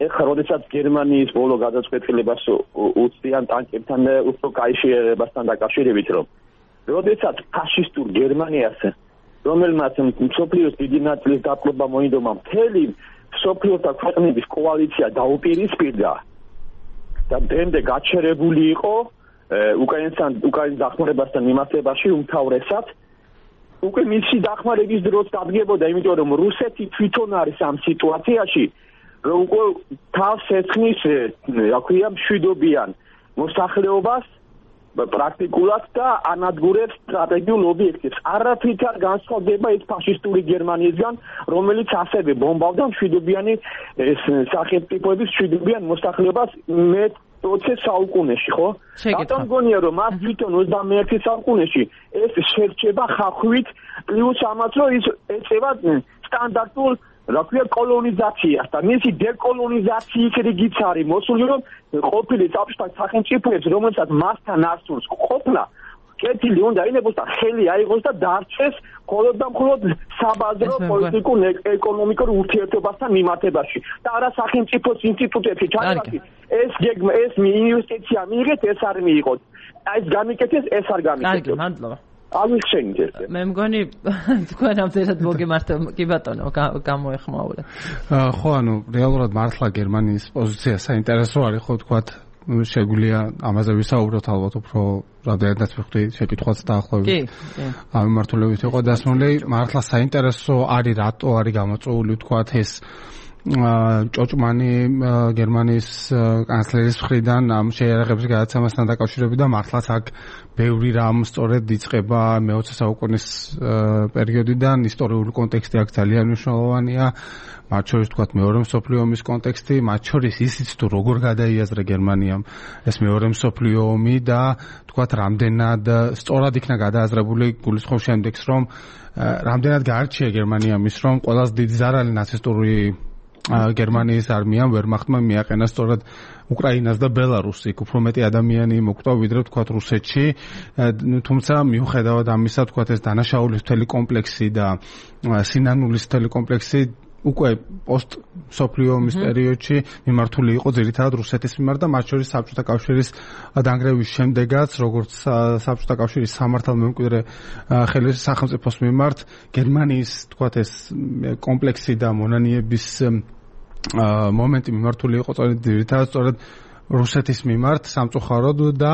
ეხლა როდესაც გერმანიის ბოლო გადაწყვეტილებას უწევენ ტანკებთან და უფრო კავშირებასთან დაკავშირებით რომ როდესაც ფაშისტურ გერმანიას რომელმაც მსოფლიოს დიდი ნაწილის დაპყრობა მოინდომა მთელი მსოფლიოთა ქვეყნების კოალიცია დაუპირისპირდა და დღემდე გაჩერებული იყო უკრაინასთან უკრაინის დახმარებასთან მიმართებაში უმთავრესად უკვე მისი დახმარების დროც დადგებოდა იმიტომ რომ რუსეთი თვითონ არის ამ სიტუაციაში რომ უკვე თავს ეცხნის რა ქვია მშვიდობიან მოსახლეობას პრაქტიკულად და ანადგურებს სტრატეგიულ ობიექტებს. არაფრით არ განსხვავდება ის ფაშისტური გერმანიისგან, რომელიც ასევე ბომბავდა მშვიდობიანი სახელმწიფოების მშვიდობიან მოსახლეობას მე ოცე საუკუნეში, ხო? რატომ გონია რომ მას თვითონ ოცდამეერთე საუკუნეში ეს შერჩება ხახვით პლუს ამას რომ ის ეწევა სტანდარტულ რა ქვია კოლონიზაციას და მისი დეკოლონიზაციის რიგიც არის მოსული რომ ყოფილი საბჭოთა სახელმწიფოებს რომელსაც მასთან არ სურს ყოფნა კეთილი უნდა ინებოს და ხელი აიღოს და დარჩეს მხოლოდ და მხოლოდ საბაზრო პოლიტიკურ ეკონომიკურ ურთიერთობასთან მიმართებაში და არა სახელმწიფოს ინსტიტუტებში ჩაგვარდით ეს გეგმა ეს ინვესტიცია მიიღეთ ეს არ მიიღოთ აი ეს გამიკეთეს ეს არ გამიკეთეს კარგი მადლობა აღიქცენით მე მგონი თქვენ ამზერად მოგემართ კი ბატონო გამოეხმაურეთ ხო ანუ რეალურად მართლა გერმანიის პოზიცია საინტერესო არის ხო თქვათ შეგვიძლია ამაზე ვისაუბროთ ალბათ უფრო რამდენადაც ვხვდი შეკითხვაც დაახლოებით კი ამ მიმართულებით იყო დასმული მართლა საინტერესო არის რატო არის გამოწვეული თქვათ ეს ჭოჭმანი გერმანიის კანცლერის მხრიდან ამ შეიარაღების გადაცემასთან დაკავშირებით და მართლაც აქ ბევრი რამ სწორედ იწყება მეოცე საუკუნის პერიოდიდან ისტორიული კონტექსტი აქ ძალიან მნიშვნელოვანია მათ შორის თქვათ მეორე მსოფლიო ომის კონტექსტი მათ შორის ისიც თუ როგორ გადაიაზრა გერმანიამ ეს მეორე მსოფლიო ომი და თქვათ რამდენად სწორად იქნა გადააზრებული გულისხმობს შემდეგს რომ რამდენად გაარჩია გერმანიამ ის რომ ყველაზე დიდი ზარალი ნაცისტური გერმანიის არმიამ ვერმახტმა მიაყენა სწორად უკრაინას და ბელარუსს იქ უფრო მეტი ადამიანი მოკვდა ვიდრე თქვათ რუსეთში თუმცა მიუხედავად ამისა თქვათ ეს დანაშაულის მთელი კომპლექსი და სინანულის მთელი კომპლექსი უკვე პოსტ სოფლიო ომის პერიოდში მიმართული იყო ძირითადად რუსეთის მიმართ და მათ შორის საბჭოთა კავშირის დანგრევის შემდეგაც როგორც საბჭოთა კავშირის სამართალმემკვიდრე სახელმწიფოს მიმართ გერმანიის თქვათ ეს კომპლექსი და მონანიების მომენტი მიმართული იყო სწორედ ძირითადად სწორედ რუსეთის მიმართ სამწუხაროდ და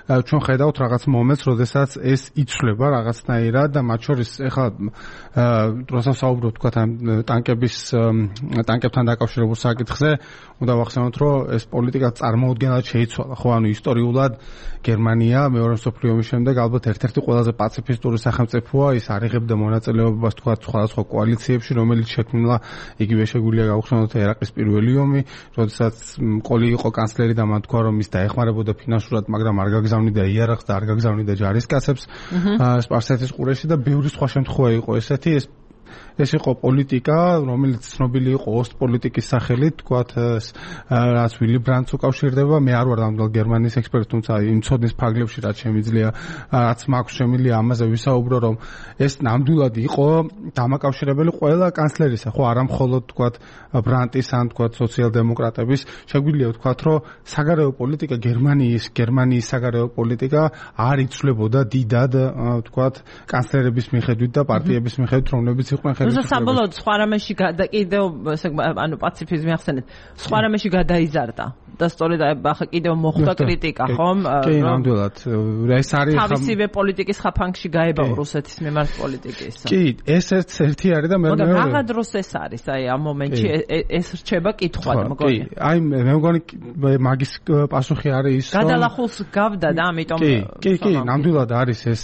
ჩვენ ხედავთ რაღაც მომენტს, როდესაც ეს იცვლება რაღაცნაირად და მათ შორის ეხლა როცა საუბრობთ თქვა ტანკების ტანკებთან დაკავშირებულ საკითხზე, უნდა ვახსენოთ, რომ ეს პოლიტიკა წარმოუდგენლად შეიცვალა, ხო, ანუ ისტორიულად გერმანია მეორე მსოფლიო ომის შემდეგ ალბათ ერთ-ერთი ყველაზე პაციფისტური სახელმწიფოა, ის არიღებდა მონაწილეობას თქვა სხვადასხვა კოალიციებში, რომელიც შექმნილა იგივე შეგვიძლია გავხსენოთ ერაყის პირველი ომი, როდესაც ყოლი იყო კანცლერი და მან თქვა რომ ის დაეხმარებოდა ფინანსურად, მაგრამ არ გაგზავნიდა იარაღს და არ გაგზავნიდა ჯარისკაცებს სპარსეთის ყურეში და ბევრი სხვა შემთხვევა იყო ესეთი ეს ეს იყო პოლიტიკა, რომელიც ცნობილი იყო ოსტპოლიტიკის სახელით, თქვათ, რაც ვილი ბრანდს უკავშირდება. მე არ ვარ ნამდვილ გერმანიის ექსპერტი, თუმცა იმ ცოდნის ფარგლებში რაც შემიძლია, რაც მაქვს შემიძლია ამაზე ვისაუბრო, რომ ეს ნამდვილად იყო დამაკავშირებელი ყველა კანცლერისა, ხო, არა მხოლოდ თქვათ ბრანტის ან თქვათ სოციალ-დემოკრატების, შეგვიძლია ვთქვათ, რომ საგარეო პოლიტიკა გერმანიის, გერმანიის საგარეო პოლიტიკა არ იცვლებოდა დიდად, თქვათ, კანცლერების მიხედვით და პარტიების მიხედვით, რომლებიც იყვნენ როცა საბოლოოდ სხვა რამეში კიდევ ანუ პაციფიზმი ახსენეთ სხვა რამეში გადაიზარდა და სწორედ ახლა კიდევ მოხდა კრიტიკა ხომ კი ნამდვილად ეს არის თავისივე პოლიტიკის ხაფანგში გაება რუსეთის მიმართ პოლიტიკის კი ეს ერთი არის და მე მე რა დროს ეს არის აი ამ მომენტში ეს რჩება კითხვა და მგონი კი აი მე მგონი მაგის პასუხი არის ის რომ გადალახულს გავდა და ამიტომ კი კი კი ნამდვილად არის ეს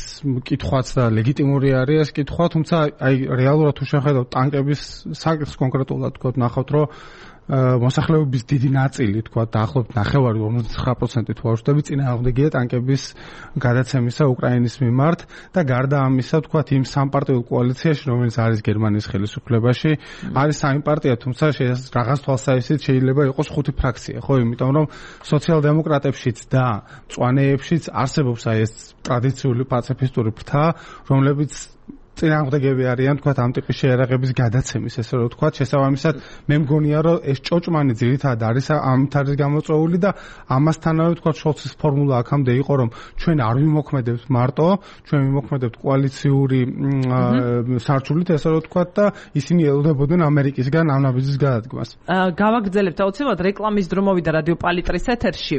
კითხვაც და ლეგიტიმური არის ეს კითხვა თუმცა აი რეალურად თუ შეხედავთ ტანკების საკითხს კონკრეტულად თქვა ნახავთ რომ მოსახლეობის დიდი ნაწილი თქვა დაახლოებით ნახევარი ორმოცდათვრამეტ პროცენტი თუ ვაუშვები წინააღმდეგია ტანკების გადაცემისა უკრაინის მიმართ და გარდა ამისა თქვა იმ სამპარტიულ კოალიციაში რომელიც არის გერმანიის ხელისუფლებაში არის სამი პარტია თუმცა რაღაც თვალსაზრისით შეიძლება იყოს ხუთი ფრაქცია ხო იმიტომ რომ სოციალ-დემოკრატებშიც და მწვანეებშიც არსებობს აი ეს ტრადიციული პაციფისტური ფრთა რომლებიც წინააღმდეგები არიან თქვა ამ ტიპის შეერაღების გადაცემის ესე რომ თქვა შესაბამისად მე მგონია რომ ეს ჭოჭმანი ძირითადად არის ამით არის გამოწვეული და ამასთანავე თქვა შოლცის ფორმულა აქამდე იყო რომ ჩვენ არ ვიმოქმედებთ მარტო ჩვენ ვიმოქმედებთ კოალიციური სარჩულით ესე რომ თქვა და ისინი ელოდებოდნენ ამერიკისგან ამ ნაბიჯის გადადგმას. გავაგრძელებთ აუცილებლად რეკლამის დრო მოვიდა რადიო პალიტრის ეთერში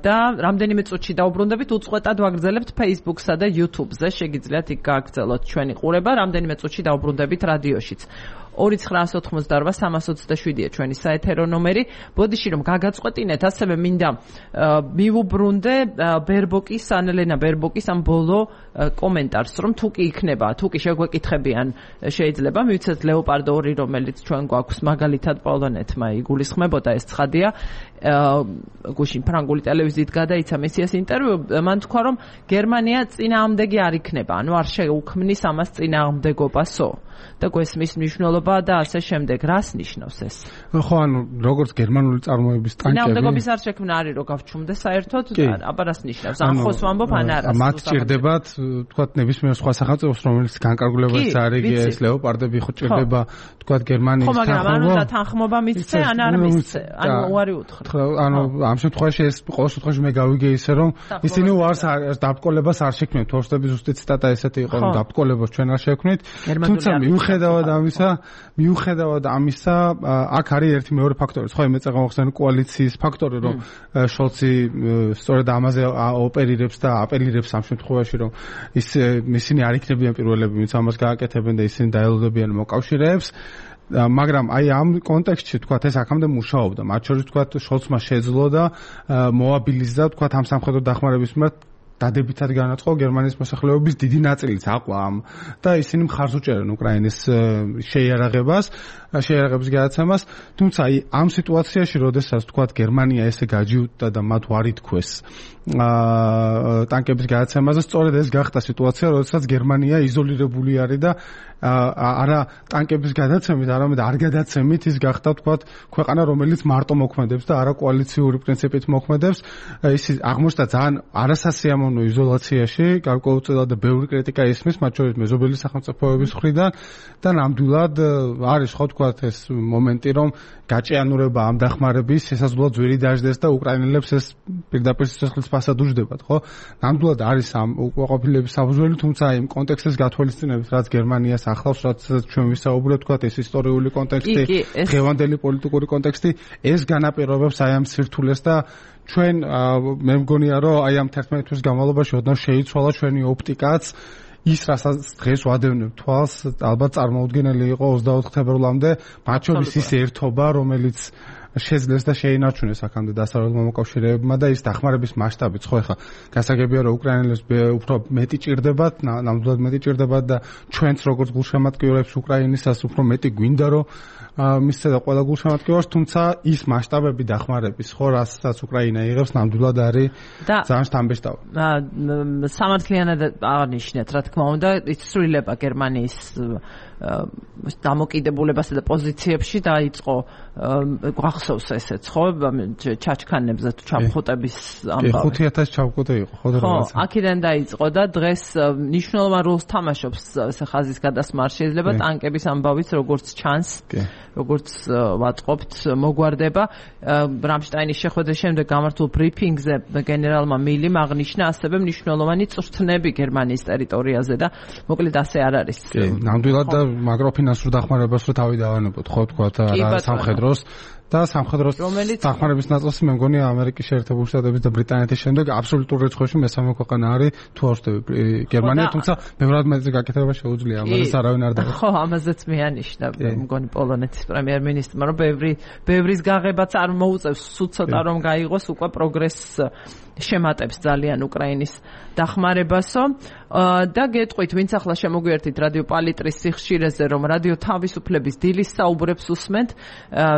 და რამდენიმე წუთში დაუბრუნდებით უწყვეტად ვაგრძელებთ Facebook-სა და YouTube-ზე შეგიძლიათ იქ გააგრძელოთ ჩვენი ყურება რამდენიმე წუთში დაუბრუნდებით რადიოშიც. ორი ცხრაას ოთხმოცდაორვა სამას ოცდაშვიდია ჩვენი საეთერო ნომერი. ბოდიში რომ გაგაწყვეტინეთ, ასევე მინდა მივუბრუნდე ბერბოკის, ანელენა ბერბოკის ამ ბოლო კომენტარს, რომ თუ კი იქნება, თუ კი შეგვეკითხებიან, შეიძლება მივიცეთ ლეოპარდო ორი, რომელიც ჩვენ გვაქვს მაგალითად პოლონეთმა იგულისხმებოდა, ეს ცხადია. გუშინ ფრანგული ტელევიზიით გადაიცა მესიას ინტერვიუ, მან თქვა, რომ გერმანია წინააღმდეგი არ იქნება, ანუ არ შეუქმნის ამას წინააღმდეგობასო. და გვესმის მნიშვნელობა და ასე შემდეგ. რას ნიშნავს ეს? ხო, ანუ როგორც გერმანული წარმოების ტანკები. წინააღმდეგობის არ შექმნა არის რო გავჩუმდე საერთოდ, აბა რას ნიშნავს? ან ხოს ვამბობ ან არა? მათ ჭირდებათ, თქვათ ნებისმიერ სხვა სახელმწიფოს, რომელიც განკარგულებაც არის, ეს ლეოპარდები ხო ჭირდება, თქვათ გერმანიის თანხმობა. ხო, მაგრამ ანუ და თანხმობა მისცე ან არ მისცე? ანუ უარი უთხრა. ანუ ამ შემთხვევაში ეს ყოველ შემთხვევაში მე გავიგე ისე რომ ისინი უარს დაბრკოლებას არ შექმნით. თორშტების ზუსტი ციტატა ესეთი იყო, რომ დაბრკოლებას ჩვენ არ შექმნით. თუმცა მიუხედავად ამისა, მიუხედავად ამისა, აქ არის ერთი მეორე ფაქტორი, ხო, მე წაღა მოხსენე კოალიციის ფაქტორი, რომ შოლცი სწორედ ამაზე ოპერირებს და აპელირებს ამ შემთხვევაში, რომ ის ისინი არ იქნებიან პირველები, ვინც ამას გააკეთებენ და ისინი დაელოდებიან მოკავშირეებს. მაგრამ აი ამ კონტექსტში თქვათ ეს აქამდე მუშაობდა, მათ შორის თქვათ შოლცმა შეძლო და მოაბილიზდა თქვათ ამ სამხედრო დახმარების მიმართ დადებითად განაწყო გერმანიის მოსახლეობის დიდი ნაწილიც აყვა ამ და ისინი მხარს უჭერენ უკრაინის შეიარაღებას, შეიარაღების გადაცემას, თუმცა აი ამ სიტუაციაში, როდესაც თქვათ გერმანია ესე გაჯიუტდა და მათ არ ითქვეს ტანკების გადაცემაზე, სწორედ ეს გახდა სიტუაცია, როდესაც გერმანია იზოლირებული არის და არა ტანკების გადაცემით, არამედ არ გადაცემით ის გახდა თქვათ ქვეყანა, რომელიც მარტო მოქმედებს და არა კოალიციური პრინციპით მოქმედებს. ის აღმოჩნდა ძალიან არასასიამოვნო იზოლაციაში, გარკვეულწილად ბევრი კრიტიკა ისმის, მათ შორის მეზობელი სახელმწიფოების მხრიდან და ნამდვილად არის ხო თქვათ ეს მომენტი, რომ გაჭიანურება ამ დახმარების შესაძლოა ძვირი დაждდეს და უკრაინელებს ეს პირდაპირ სიცოცხლის ფასად უჯდებათ, ხო? ნამდვილად არის ამ უკმაყოფილების საფუძველი, თუმცა იმ კონტექსტის გათვალისწინებით, რაც გერმანიას ახლავს, რაც ჩვენ ვისაუბრებთ, თქვათ ეს ისტორიული კონტექსტი, დღევანდელი პოლიტიკური კონტექსტი, ეს განაპირობებს აი ამ სირთულეს და ჩვენ მე მგონია, რომ აი ამ თერთმეტი თვის განმავლობაში ოდნავ შეიცვალა ჩვენი ოპტიკაც ის რასაც დღეს ვადევნებ თვალს, ალბათ წარმოუდგენელი იყო ოცდაოთხ თებერვლამდე, მათ შორის ის ერთობა, რომელიც შეძლეს და შეინარჩუნეს აქამდე დასავლელმა მოკავშირეებმა და ის დახმარების მასშტაბიც, ხო, ეხლა გასაგებია, რომ უკრაინელებს უფრო მეტი ჭირდებათ, ნამდვილად მეტი ჭირდებათ და ჩვენც როგორც გულშემატკივრებს უკრაინისას უფრო მეტი გვინდა, რომ მისცე და ყველა გულშემატკივარს, თუმცა ის მასშტაბები დახმარების, ხო, რასაც უკრაინა იღებს, ნამდვილად არის ძალიან შთამბეჭდავი. სამართლიანად აღნიშნეთ, რა თქმა უნდა, იცვლება გერმანიის დამოკიდებულებასა და პოზიციებში დაიწყო გვახსოვს ესეც, ხო, ჩაჩქანებზე თუ ჩამხუტების ამბავი. ხუთი ათასი ჩამხუტე იყო, ხო და რაღაცა. ხო, აქედან დაიწყო და დღეს მნიშვნელოვან როლს თამაშობს ეს ხაზის გადასმა არ შეიძლება ტანკების ამბავიც როგორც ჩანს, როგორც ვატყობთ, მოგვარდება. რამშტაინის შეხვედრის შემდეგ გამართულ ბრიფინგზე გენერალმა მილიმ აღნიშნა ასევე მნიშვნელოვანი წვრთნები გერმანიის ტერიტორიაზე და მოკლედ ასე არ არის. ნამდვილად და მაკროფინანსურ დახმარებას რო თავი დავანებოთ, ხო თქვა რა სამხედროს და სამხედროს დახმარების ნაწილს მე მგონია ამერიკის შეერთებული შტატების და ბრიტანეთის შემდეგ აბსოლუტურ რიცხვებში მესამე ქვეყანა არის თუ არ ვშტები გერმანია, თუმცა ბევრად მეტი გაკეთება შეუძლია, ამას არავინ არ დაგვიწყდა. ხო, ამაზეც მეანიშნა მგონი პოლონეთის პრემიერ-მინისტრმა, რომ ბევრი ბევრის გაღებაც არ მოუწევს, სულ ცოტა რომ გაიღოს უკვე პროგრესს შემატებს ძალიან უკრაინის დახმარებასო და გეტყვით, ვინც ახლა შემოგვიერთით რადიო პალიტრის სიხშირეზე, რომ რადიო თავისუფლების დილის საუბრებს უსმენთ,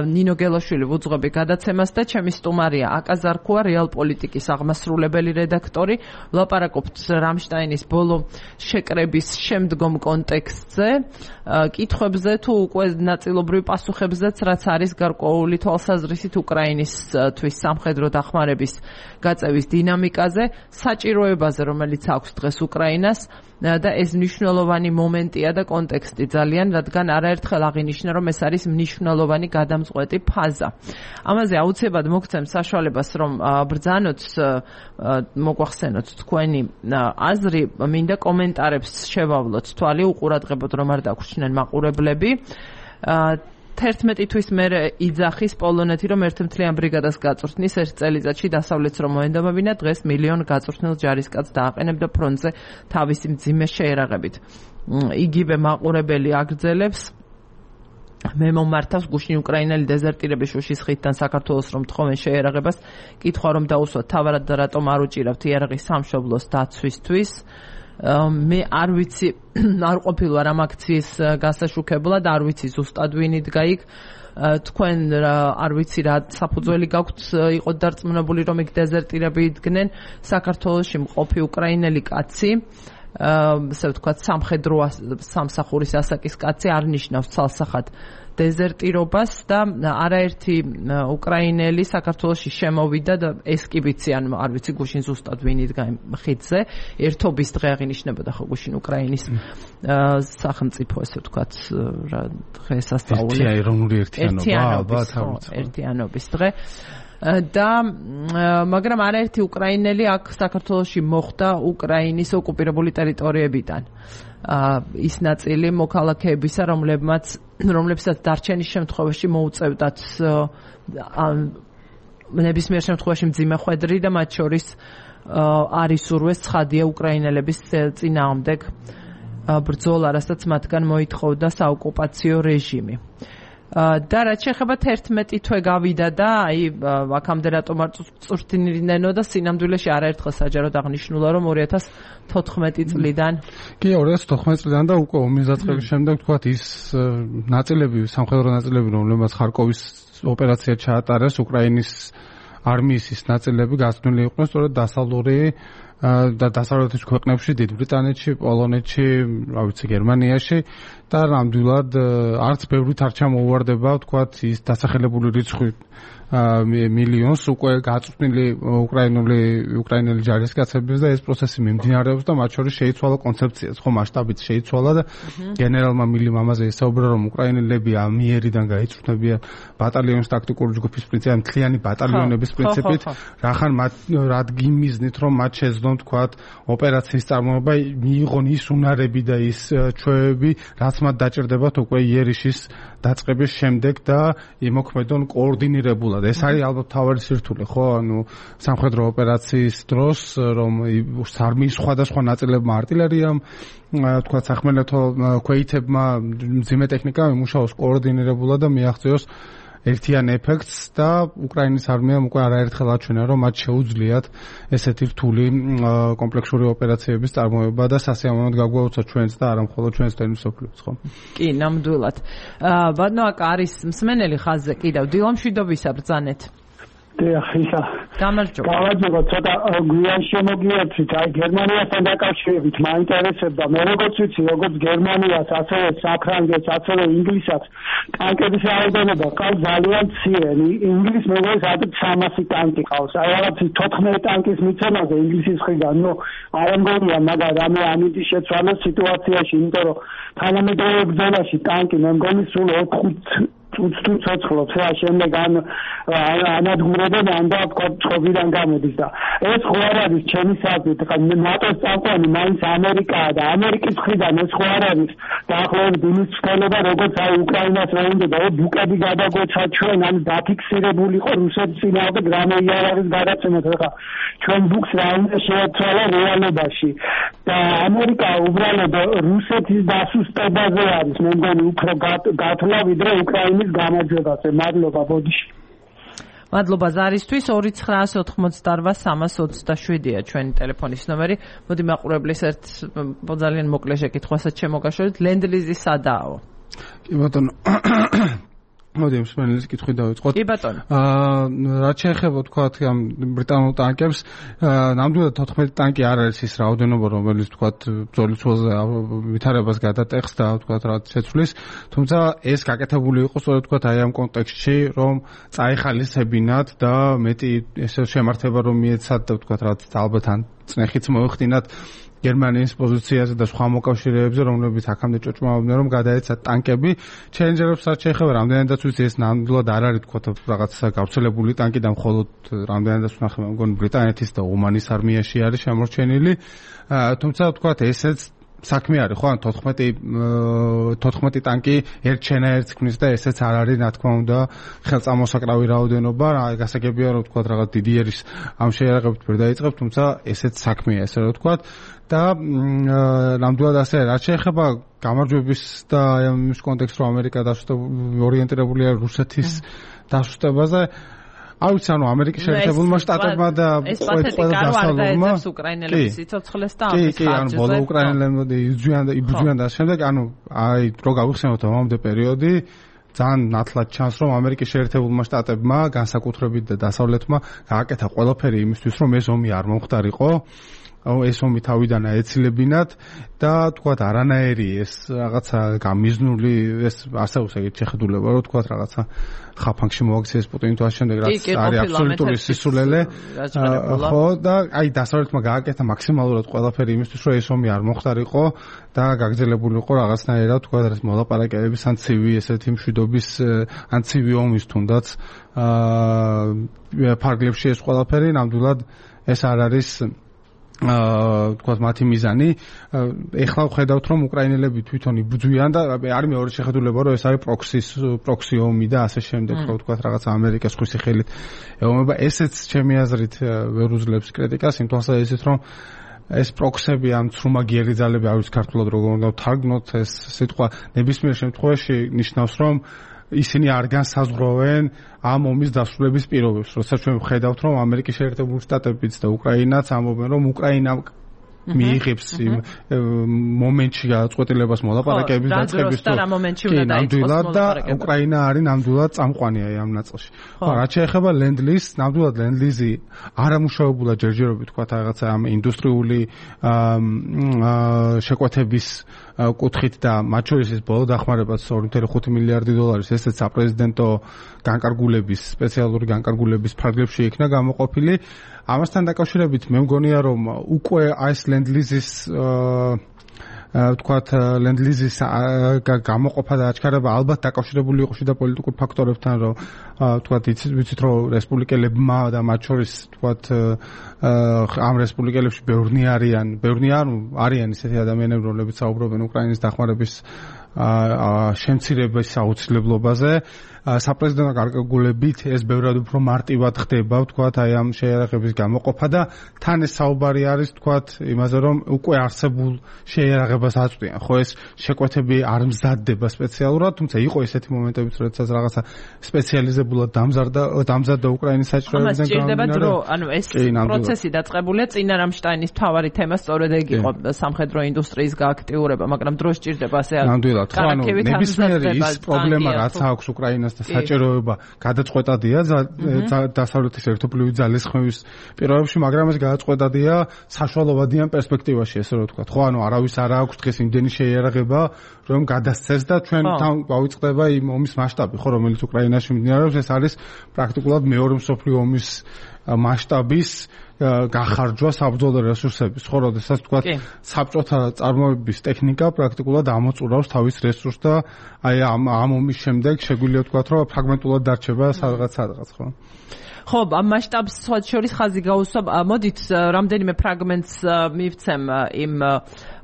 ნინო გელაშვილი ვუძღვები გადაცემას და ჩემი სტუმარია აკაზარქოა, რეალ პოლიტიკის აღმასრულებელი რედაქტორი. ვლაპარაკობთ რამშტაინის ბოლო შეკრების შემდგომ კონტექსტზე, კითხვებზე თუ უკვე ნაწილობრივ პასუხებზეც, რაც არის გარკვეული თვალსაზრისით უკრაინისთვის სამხედრო დახმარების გაწევის დინამიკაზე, საჭიროებაზე, რომელიც აქვს დღეს უკრაინას და ეს მნიშვნელოვანი მომენტია და კონტექსტი ძალიან, რადგან არაერთხელ აღინიშნა, რომ ეს არის მნიშვნელოვანი გადამწყვეტი ფაზა. ამაზე აუცილებლად მოგცემ საშუალებას, რომ ბრძანოთ, მოგვახსენოთ თქვენი აზრი, მინდა კომენტარებს შევავლოთ თვალი, უყურადღებოდ რომ არ დაგვრჩნენ მაყურებლები. თერთმეტი თვის მერე იძახის პოლონეთი, რომ ერთმთლიან ბრიგადას გაწვრთნის ერთ წელიწადში დასავლეთს რომ მოენდომებინა, დღეს მილიონ გაწვრთნილ ჯარისკაცს დააყენებდა ფრონტზე თავისი მძიმე შეერაღებით. იგივე მაყურებელი აგრძელებს, მე მომართავს გუშინ უკრაინელი დეზერტირების შუშის ხიდთან საქართველოს რომ თხოვენ შეერაღებას, კითხვა რომ დაუსვათ თავად და რატომ არ უჭირავთ იარაღის სამშობლოს დაცვისთვის. მე არ ვიცი, არ ყოფილვარ ამ აქციის გასაშუქებლად, არ ვიცი ზუსტად ვინ იდგა იქ. თქვენ არ ვიცი რა საფუძველი გაქვთ იყო დარწმუნებული რომ იქ დეზერტირები იდგნენ. საქართველოში მყოფი უკრაინელი კაცი, ასე ვთქვათ, სამხედრო სამსახურის ასაკის კაცი არ ნიშნავს ცალსახად დეზერტირობას და არაერთი უკრაინელი საქართველოში შემოვიდა და ეს კი ვიცი, ან არ ვიცი გუშინ ზუსტად ვინ იდგა ხიდზე. ერთობის დღე აღინიშნებოდა ხო გუშინ უკრაინის სახელმწიფო, ასე ვთქვათ, რა დღესასწაული. ეროვნული ერთიანობა, ერთიანობის დღე. და მაგრამ არაერთი უკრაინელი აქ საქართველოში მოხვდა უკრაინის ოკუპირებული ტერიტორიებიდან. ის ნაწილი მოქალაქეებისა, რომლებმაც რომლებსაც დარჩენის შემთხვევაში მოუწევდათ ნებისმიერ შემთხვევაში მძიმე ხვედრი და მათ შორის არის ურვეს ცხადია უკრაინელების წინააღმდეგ ბრძოლა, რასაც მათგან მოითხოვდა საოკუპაციო რეჟიმი. და რაც შეეხება თერთმეტი თვე გავიდა და აი აქამდე რატომ არ წვრთნილნენო და სინამდვილეში არაერთხელ საჯაროდ აღნიშნულა რომ ორი ათას თოთხმეტი წლიდან კი ორი ათას თოთხმეტი წლიდან და უკვე ომის დაწყების შემდეგ თქვათ ის ნაწილები, სამხედრო ნაწილები, რომლებმაც ხარკოვის ოპერაცია ჩაატარეს, უკრაინის არმიის ის ნაწილები გასცნული იყვნენ სწორედ დასავლური და დასავლეთის ქვეყნებში, დიდ ბრიტანეთში, პოლონეთში, რა ვიცი, გერმანიაში და ნამდვილად არც ბევრით არ ჩამოუვარდება, თქვათ, ის დასახელებული რიცხვი მილიონს უკვე გაწვრთნილი უკრაინული უკრაინელი ჯარისკაცების და ეს პროცესი მიმდინარეობს და მათ შორის შეიცვალა კონცეფციაც, ხო, მასშტაბით შეიცვალა და გენერალმა მილიმ ამაზე ისაუბრა, რომ უკრაინელები ამიერიდან გაიწვრთნებიან ბატალიონის ტაქტიკური ჯგუფის პრინციპით, მთლიანი ბატალიონების პრინციპით, რახან მათ რადგ იმიზნით, რომ მათ შეძლონ, თქვათ, ოპერაციის წარმოება, მიიღონ ის უნარები და ის ჩვევები, რაც მათ დაჭირდებათ უკვე იერიშის დაწყების შემდეგ და იმოქმედონ კოორდინირებულად. ეს არის ალბათ თავარი სირთულე, ხო? ანუ სამხედრო ოპერაციის დროს, რომ არმიის სხვადასხვა ნაწილებმა არტილერიამ, თქვათ, სახმელეთო ქვეითებმა მძიმე ტექნიკა იმუშაოს კოორდინირებულად და მიაღწიოს ერთიან ეფექტს და უკრაინის არმიამ უკვე არაერთხელ აჩვენა, რომ მათ შეუძლიათ ესეთი რთული კომპლექსური ოპერაციების წარმოება და სასიამოვნოდ გაგვაუცა ჩვენს და არა მხოლოდ ჩვენს თემისოფლებს, ხო? კი, ნამდვილად. ბატონო, აქ არის მსმენელი ხაზზე კიდევ დილამშვიდობისა ბრძანეთ. ეხლა გამარჯობა. გამარჯობა, ცოტა გვიან შემოგიერთვით, აი გერმანიასთან დაკავშირებით მაინტერესებდა, მე როგორც ვიცი, როგორც გერმანიას, ასევე საფრანგეთს, ასევე ინგლისსაც ტანკების რაოდენობა ყავს ძალიან მცირე. ინგლისს მეგონის ადრე სამასი ტანკი ყავს. აი რაღაც თოთხმეტი ტანკის მიცემაზე ინგლისის მხრიდან, ნუ არ მგონია, მაგრამ რამე ამიტი შეცვალოს სიტუაციაში, იმიტომ რომ თანამედროვე ბრძოლაში ტანკი მე მგონი სულ ოთხ თუ ცოცხლობს რა შემდეგ ან ანადგურებენ ან და კოპჩობიდან გამოდის და ეს ხო არ არის ჩემი საზრით ხა ნატოს წამყვანი მაინც ამერიკაა და ამერიკის მხრიდან ეს ხო არ არის დაახლოებით იმის ცვლილება როგორც აი უკრაინას რა უნდა და ბუკები გადაგვეცა ჩვენ ან დაფიქსირებული იყო რუსეთის წინააღმდეგ რამე იარაღის გადაცემად ხა ჩვენ ბუკს რა უნდა შეეცვალა რეალობაში და ამერიკა უბრალოდ რუსეთის დასუსტებაზე არის მე მგონი უფრო გათვლა ვიდრე უკრაინის გამარჯვებაზე. მადლობა, ბოდიში. მადლობა ზარისთვის. ორი ცხრაასი ოთხმოცდაოთხ სამას ოცდაშვიდია ჩვენი ტელეფონის ნომერი. მოდი მაყურებლის ერთ ძალიან მოკლე შეკითხვასაც შემოგაშორეთ. ლენდ-ლიზი სადაო? კი ბატონო. მოდი მსმენელის კითხვით დავიწყოთ. კი ბატონო. აა რაც შეეხება თქვათ ამ ბრიტანულ ტანკებს, ნამდვილად თოთხმეტი ტანკი არ არის ის რაოდენობა, რომელიც თქვათ ბრძოლის ძველზე ვითარებას გადატეხს და თქვათ რაც შეცვლის, თუმცა ეს გაკეთებული იყო სწორედ თქვათ აი ამ კონტექსტში, რომ წაეხალისებინათ და მეტი ესე შემართება რომ მიეცათ და თქვათ რაც ალბათ ან წნეხიც მოეხდინათ გერმანიის პოზიციაზე და სხვა მოკავშირეებზე, რომლებიც აქამდე ჭოჭმაობდნენ, რომ გადაეცათ ტანკები. ჩელენჯერებს რაც შეეხება, რამდენადაც ვიცი, ეს ნამდვილად არ არის თქვათ რაღაც გავრცელებული ტანკი და მხოლოდ რამდენადაც ვნახე, მგონი ბრიტანეთის და ომანის არმიაში არის შემორჩენილი. თუმცა თქვათ ესეც საქმე არის, ხო, ან თოთხმეტი თოთხმეტი ტანკი ერთ შენაერთს ქმნის და ესეც არ არის, რა თქმა უნდა, ხელწამოსაკრავი რაოდენობა. გასაგებია, რომ თქვათ რაღაც დიდი ერის ამ შეიარაღებით ვერ დაიწყებ, თუმცა ესეც საქმეა, ესე რომ თქვათ. და ნამდვილად ასე რაც შეეხება გამარჯვების და ამ ის კონტექსტს, რომ ამერიკა ორიენტირებულია რუსეთის დასუსტებაზე, არ ვიცი, ანუ ამერიკის შეერთებულმა შტატებმა და ყველა დასავლურმა უკრაინელების სიცოცხლეს და ამის ხარჯზე. კი, კი, ანუ ბოლო უკრაინელებმა იბრძვიან და იბრძვიან და შემდეგ, ანუ აი რო გავიხსენოთ ამამდე პერიოდი, ძალიან ნათლად ჩანს, რომ ამერიკის შეერთებულმა შტატებმა, განსაკუთრებით და დასავლეთმა გააკეთა ყველაფერი იმისთვის, რომ ეს ომი არ მომხდარიყო. ეს ომი თავიდან აეცილებინათ და თქვათ არანაირი ეს რაღაცა გამიზნული ეს არსებობს ეგეთ შეხედულება, რომ თქვათ რაღაცა ხაფანგში მოაქციეს პუტინი თუ ამ შემდეგ რაც არის აბსოლუტური სისულელე. ხო და აი დასავლეთმა გააკეთა მაქსიმალურად ყველაფერი იმისთვის, რომ ეს ომი არ მომხდარიყო და გაგრძელებულიყო რაღაცნაირად თქვათ ეს მოლაპარაკებების ან ცივი ესეთი მშვიდობის ან ცივი ომის თუნდაც აა ფარგლებში ეს ყველაფერი ნამდვილად ეს არ არის აა თქვათ მათი მიზანი. ეხლა ვხედავთ, რომ უკრაინელები თვითონ იბრძვიან და არის მეორე შეხედულება, რომ ეს არის პროქსის პროქსი ომი და ასე შემდეგ, რომ თქვათ რაღაც ამერიკას ხვისი ხელით ეომება. ესეც ჩემი აზრით ვერ უძლებს კრიტიკას, იმ თვალსაზრისით, რომ ეს პროქსები ამ ცრუმაგიერი ძალები, არ ვიცი ქართულად როგორ უნდა ვთარგმნოთ, ეს სიტყვა ნებისმიერ შემთხვევაში ნიშნავს, რომ ისინი არ განსაზღვრავენ ამ ომის დასრულების პირობებს. როცა ჩვენ ვხედავთ, რომ ამერიკის შეერთებული შტატებიც და უკრაინაც ამბობენ, რომ უკრაინა მიიღებს იმ მომენტში გადაწყვეტილებას მოლაპარაკებების დაწყების და რა მომენტში უნდა დაიწყოს მოლაპარაკება და უკრაინა არის ნამდვილად წამყვანია ამ ნაწილში. ხო, რაც შეეხება ლენდ-ლიზს, ნამდვილად ლენდ-ლიზი არამუშავებულა ჯერჯერობით თქვა რაღაცა ამ ინდუსტრიული შეკვეთების კუთხით და მათ შორის ეს ბოლო დახმარებაც ორი კoma ხუთი მილიარდი დოლარის ესეც საპრეზიდენტო განკარგულების სპეციალური განკარგულების ფარგლებში იქნა გამოყოფილი. ამასთან დაკავშირებით მე მგონია, რომ უკვე ეს ლენდ-ლიზის თქვათ ლენდ-ლიზის გამოყოფა და აჩქარება ალბათ დაკავშირებული იყო შიდა პოლიტიკურ ფაქტორებთან, რომ თქვათ იცით, რომ რესპუბლიკელებმა და მათ შორის თქვათ ამ რესპუბლიკელებში ბევრნი არიან, ბევრნი ანუ არიან ისეთი ადამიანები, რომლებიც საუბრობენ უკრაინის დახმარების შემცირების აუცილებლობაზე. საპრეზიდენტო გარკვეულებით ეს ბევრად უფრო მარტივად ხდება, ვთქვათ, აი ამ შეიარაღების გამოყოფა და თან ეს საუბარი არის, ვთქვათ, იმაზე, რომ უკვე არსებულ შეიარაღებას აწვდიან. ხო, ეს შეკვეთები არ მზადდება სპეციალურად, თუმცა იყო ესეთი მომენტებიც, როდესაც რაღაცა სპეციალიზებულად დამზადდა დამზადდა უკრაინის საჭიროებიდან გამომდინარე. დრო, ანუ ეს პროცესი დაწყებულია წინა რამშტაინის მთავარი თემა სწორედ ეგ იყო სამხედრო ინდუსტრიის გააქტიურება, მაგრამ დრო სჭირდება ასე ნამდვილად, ხო, ანუ ნებისმიერი ის პრობლემა, რაც აქვს უკრაინას და საჭიროება გადაწყვეტადია დასავლეთის ერთობლივი ძალის ხმევის პირობებში, მაგრამ ეს გადაწყვეტადია საშუალებადიან პერსპექტივაში, ესე რომ ვთქვათ. ხო, ანუ არავის არ აქვს დღეს იმდენი შეიარაღება, რომ გადასცეს და ჩვენ თან გავიწყდება იმ ომის მასშტაბი, ხო, რომელიც უკრაინაში მიმდინარეობს, ეს არის პრაქტიკულად მეორე მსოფლიო ომის მასშტაბის გახარჯვა საბრძოლო რესურსების. ხო, როდესაც თქვათ საბჭოთა წარმოების ტექნიკა პრაქტიკულად ამოწურავს თავის რესურსს და აი ამ ამ ომის შემდეგ შეგვიძლია ვთქვათ, რომ ფრაგმენტულად დარჩება სადღაც სადღაც, ხო? ხო, ამ მასშტაბს შორის ხაზი გაუსვამ. მოდით რამდენიმე ფრაგმენტს მივცემ იმ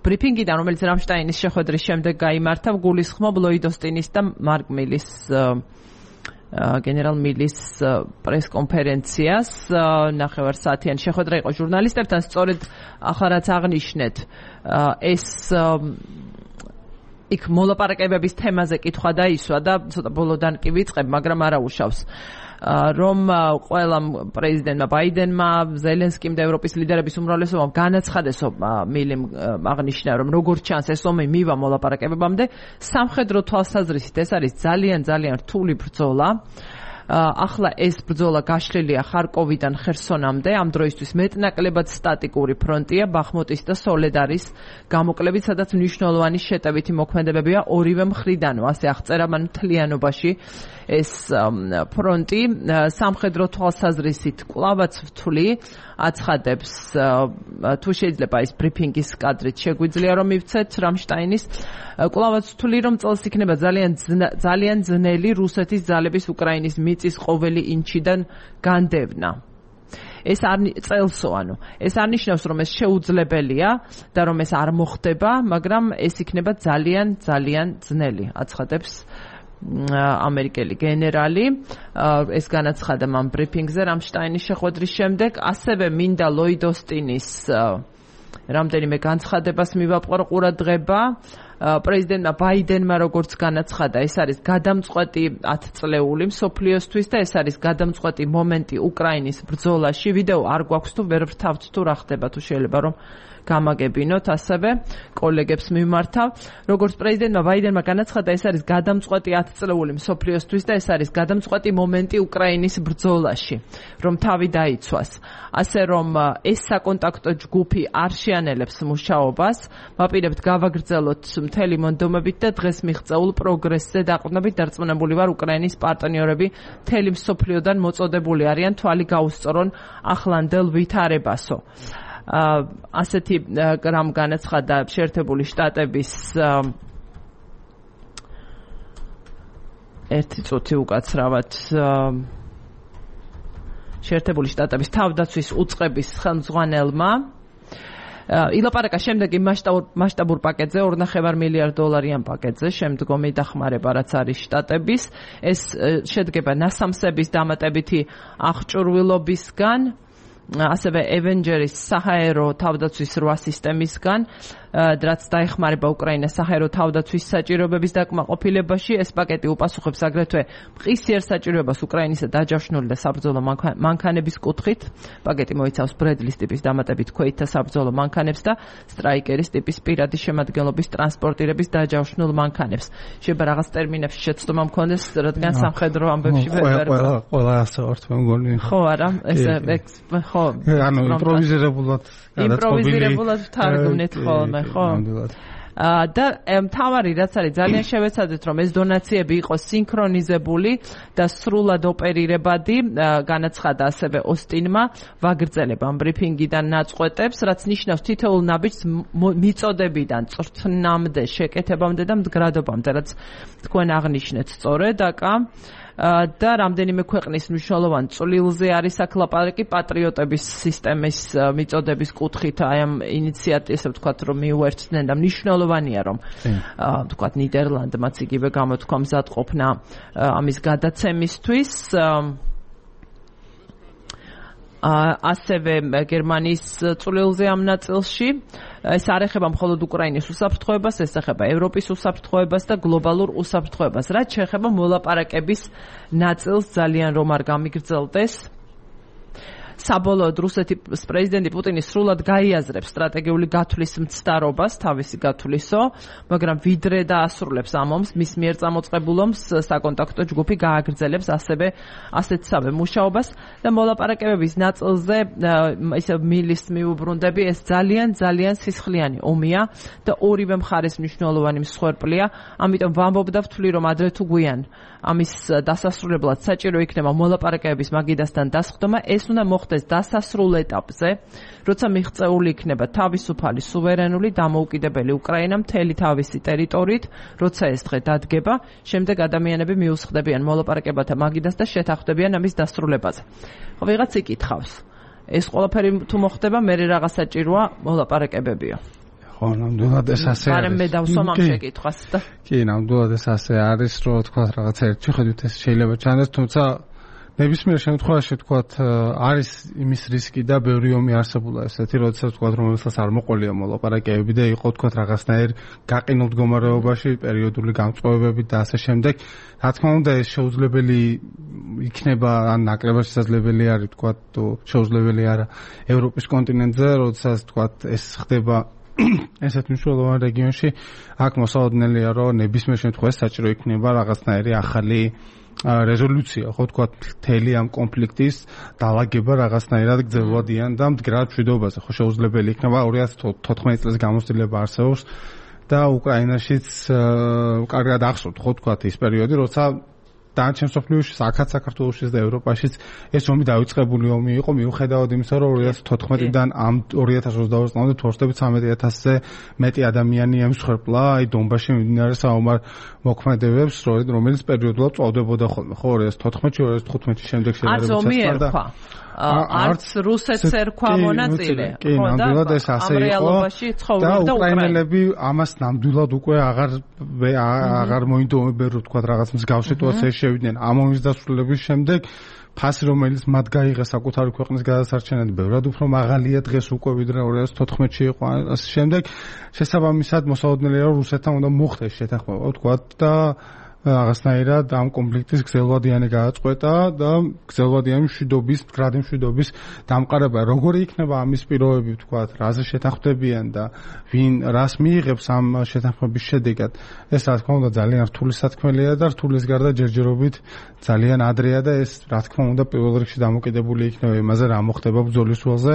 ბრიფინგიდან, რომელიც რამშტაინის შეხვედრის შემდეგ გაიმართა, გულისხმობ ლოიდ ოსტინის და მარკ მილის გენერალ მილის პრესკონფერენციას. ნახევარსაათიანი შეხვედრა იყო ჟურნალისტებთან. სწორედ ახლა რაც აღნიშნეთ, ეს იქ მოლაპარაკებების თემაზე კითხვა დაისვა და ცოტა ბოლოდან კი ვიწყებ, მაგრამ არა უშავს. რომ ყველა პრეზიდენტმა ბაიდენმა, ზელენსკიმ და ევროპის ლიდერების უმრავლესობამ განაცხადეს, მილიმ აღნიშნა, რომ როგორც ჩანს ეს ომი მივა მოლაპარაკებებამდე, სამხედრო თვალსაზრისით ეს არის ძალიან ძალიან რთული ბრძოლა. ახლა ეს ბრძოლა გაშლილია ხარკოვიდან ხერსონამდე, ამ დროისთვის მეტნაკლებად სტატიკური ფრონტია, ბახმუტის და სოლედარის გამოკლებით, სადაც მნიშვნელოვანი შეტევითი მოქმედებებია ორივე მხრიდანო, ასე აღწერა მან მთლიანობაში ეს ფრონტი. სამხედრო თვალსაზრისით კვლავაც ვთვლი, აცხადებს, თუ შეიძლება ის ბრიფინგის კადრით შეგვიძლია რომ მივცეთ რამშტაინის, კვლავაც ვთვლი, რომ წელს იქნება ძალიან ძალიან ძნელი რუსეთის ძალების უკრაინის მიწის ყოველი ინჩიდან განდევნა. ეს არ წელსო, ანუ ეს არ ნიშნავს, რომ ეს შეუძლებელია და რომ ეს არ მოხდება, მაგრამ ეს იქნება ძალიან ძალიან ძნელი, აცხადებს ამერიკელი გენერალი. ეს განაცხადა მან ბრიფინგზე რამშტაინის შეხვედრის შემდეგ. ასევე მინდა ლოიდ ოსტინის რამდენიმე განცხადებას მივაპყრო ყურადღება. პრეზიდენტმა ბაიდენმა როგორც განაცხადა, ეს არის გადამწყვეტი ათწლეული მსოფლიოსთვის და ეს არის გადამწყვეტი მომენტი უკრაინის ბრძოლაში. ვიდეო არ გვაქვს თუ ვერ ვრთავთ თუ რა ხდება, თუ შეიძლება რომ გამაგებინოთ, ასევე კოლეგებს მიმართავ. როგორც პრეზიდენტმა ბაიდენმა განაცხადა, ეს არის გადამწყვეტი ათწლეული მსოფლიოსთვის და ეს არის გადამწყვეტი მომენტი უკრაინის ბრძოლაში, რომ თავი დაიცვას. ასე რომ ეს საკონტაქტო ჯგუფი არ შეანელებს მუშაობას, ვაპირებთ გავაგრძელოთ მთელი მონდომებით და დღეს მიღწეულ პროგრესზე დაყრდნობით დარწმუნებული ვარ, უკრაინის პარტნიორები მთელი მსოფლიოდან მოწოდებული არიან თვალი გაუსწორონ ახლანდელ ვითარებასო. ასეთი რამ განაცხადა შეერთებული შტატების ერთი წუთი უკაცრავად შეერთებული შტატების თავდაცვის უწყების ხელმძღვანელმა ილაპარაკა შემდეგი მასშტაბურ პაკეტზე, ორ ნახევარ მილიარდ დოლარიან პაკეტზე, შემდგომი დახმარება რაც არის შტატების. ეს შედგება ნასამსების დამატებითი აღჭურვილობისგან, ასევე Avengers საჰაერო თავდაცვის რვა სისტემისგან, რაც დაეხმარება უკრაინას საჰაერო თავდაცვის საჭიროებების დაკმაყოფილებაში. ეს პაკეტი უპასუხებს აგრეთვე მყისიერ საჭიროებას უკრაინისა დაჯავშნული და საბრძოლო მანქანების კუთხით. პაკეტი მოიცავს ბრედლის ტიპის დამატებით ქვეითთა საბრძოლო მანქანებს და სტრაიკერის ტიპის პირადი შემადგენლობის ტრანსპორტირების დაჯავშნულ მანქანებს. შეიძლება რაღაც ტერმინებში შეცდომა მქონდეს, რადგან სამხედრო ამბებში ვერ ვერ ყველა ყველა ასე ვართ მე მგონი. ხო არა, ესე ხო, ანუ იმპროვიზირებულად იმპროვიზირებულად თარგმნით ხოლმე. და მთავარი რაც არის ძალიან შევეცადეთ, რომ ეს დონაციები იყოს სინქრონიზებული და სრულად ოპერირებადი. განაცხადა ასევე ოსტინმა, ვაგრძელებ ამ ბრიფინგიდან ნაწყვეტებს, რაც ნიშნავს თითოეულ ნაბიჯს მიწოდებიდან წვრთნამდე, შეკეთებამდე და მდგრადობამდე, რაც თქვენ აღნიშნეთ სწორედ აკა. და რამდენიმე ქვეყნის მნიშვნელოვან წვლილზე არის აქ ლაპარაკი პატრიოტების სისტემის მიწოდების კუთხით, აი ამ ინიციატივას, ესე ვთქვათ, რომ მიუერთდნენ და მნიშვნელოვანია, რომ ვთქვათ ნიდერლანდმაც იგივე გამოთქვა მზადყოფნა ამის გადაცემისთვის. ასევე გერმანიის წვლილზე ამ ნაწილში ეს არ ეხება მხოლოდ უკრაინის უსაფრთხოებას, ეს ეხება ევროპის უსაფრთხოებას და გლობალურ უსაფრთხოებას. რაც შეეხება მოლაპარაკების ნაწილს, ძალიან რომ არ გამიგრძელდეს, საბოლოოდ რუსეთის პრეზიდენტი პუტინი სრულად გაიაზრებს სტრატეგიული გათვლის მცდარობას, თავისი გათვლისო, მაგრამ ვიდრე დაასრულებს ამ ომს, მის მიერ წამოწყებულ ომს საკონტაქტო ჯგუფი გააგრძელებს ასევე ასეთსავე მუშაობას და მოლაპარაკებების ნაწილზე ისე მილის მიუბრუნდები, ეს ძალიან ძალიან სისხლიანი ომია და ორივე მხარეს მნიშვნელოვანი მსხვერპლია, ამიტომ ვამბობ და ვთვლი, რომ ადრე თუ გვიან ამის დასასრულებლად საჭირო იქნება მოლაპარაკებების მაგიდასთან დასხდომა, ეს უნდა მოხდეს დასასრულ ეტაპზე, როცა მიღწეული იქნება თავისუფალი, სუვერენული, დამოუკიდებელი უკრაინა მთელი თავისი ტერიტორიით, როცა ეს დღე დადგება, შემდეგ ადამიანები მიუსხდებიან მოლაპარაკებათა მაგიდას და შეთანხმდებიან ამის დასრულებაზე. ხო, ვიღაც იკითხავს. ეს ყველაფერი თუ მოხდება, მე რაღაც საჭიროა მოლაპარაკებებიო. ხო, ნამდვილად ეს ასე არის. მაგრამ მე დავსვამ ამ შეკითხვას და კი, ნამდვილად ეს ასე არის, რომ თქვა რაღაცა ერთი ხედვით ეს შეიძლება ჩანდეს, თუმცა ნებისმიერ შემთხვევაში თქვათ არის იმის რისკი და ბევრი ომი არსებულა ესეთი, როდესაც თქვათ რომელსაც არ მოყოლია მოლაპარაკებები და იყო თქვათ რაღაცნაირ გაყინულ მდგომარეობაში, პერიოდული გამწყობებები და ასე შემდეგ. Რა თქმა უნდა ეს შეუძლებელი იქნება ან ნაკლებად შესაძლებელი არის თქვათ შეუძლებელი არა ევროპის კონტინენტზე, როდესაც თქვათ ეს ხდება ესეთ მნიშვნელოვან რეგიონში, აქ მოსაოდნელია რომ ნებისმიერ შემთხვევაში საჭირო იქნება რაღაცნაირი ახალი რეზოლუცია, ხო თქვა მთელი ამ კონფლიქტის დაალაგება რაღაცნაირად გრძელვადიან და მდგრად მშვიდობაზე, ხო შეუძლებელი იქნება ორი ათას თოთხმეტი წლის გამოცდილება არსებობს და უკრაინაშიც კარგად ახსოვთ, ხო თქვა ის პერიოდი, როცა დანარჩენ მსოფლიოში, აქაც საქართველოშიც და ევროპაშიც ეს ომი დაიწყებული ომი იყო, მიუხედავად იმისა, რომ ორი ათას თოთხმეტიდან ამ ორი ათას ოცდაოთხ წლამდე თორსტებით ცამეტი ათასზე მეტი ადამიანი ემსხვერპლა, აი დონბასში მიმდინარე საომარ მოქმედებებს, რომელიც პერიოდულად წავდებოდა ხოლმე, ხო ორი ათას თოთხმეტში, ორი ათას თხუთმეტში შემდეგ შედარებით და არც რუსეთს ერქვა მონაწილე, ხო და ამ რეალობაში ცხოვრობდა და უკრაინელები ამას ნამდვილად უკვე აღარ აღარ მოინდომებენ, თქვა რაღაც მსგავს სიტუაციაში შევიდნენ ამ ომის დასრულების შემდეგ. ფასი რომელიც მათ გაიღეს საკუთარი ქვეყნის გადასარჩენად ბევრად უფრო მაღალია დღეს უკვე ვიდრე ორი ათას თოთხმეტში იყო ასე შემდეგ. შესაბამისად მოსაოდნელია რომ რუსეთთან უნდა მოხდეს შეთანხმება, თქვა და რაღაცნაირად ამ კონფლიქტის გრძელვადიანი გააწყვეტა და გრძელვადიანი მშვიდობის, მდგრადი მშვიდობის დამყარება. როგორი იქნება ამის პირობები, თქვათ, რაზე შეთანხმდებიან და ვინ რას მიიღებს ამ შეთანხმების შედეგად. ეს რა თქმა უნდა ძალიან რთული სათქმელია და რთულის გარდა ჯერჯერობით ძალიან ადრეა და ეს რა თქმა უნდა პირველ რიგში დამოკიდებული იქნება იმაზე, რა მოხდება ბრძოლის ველზე.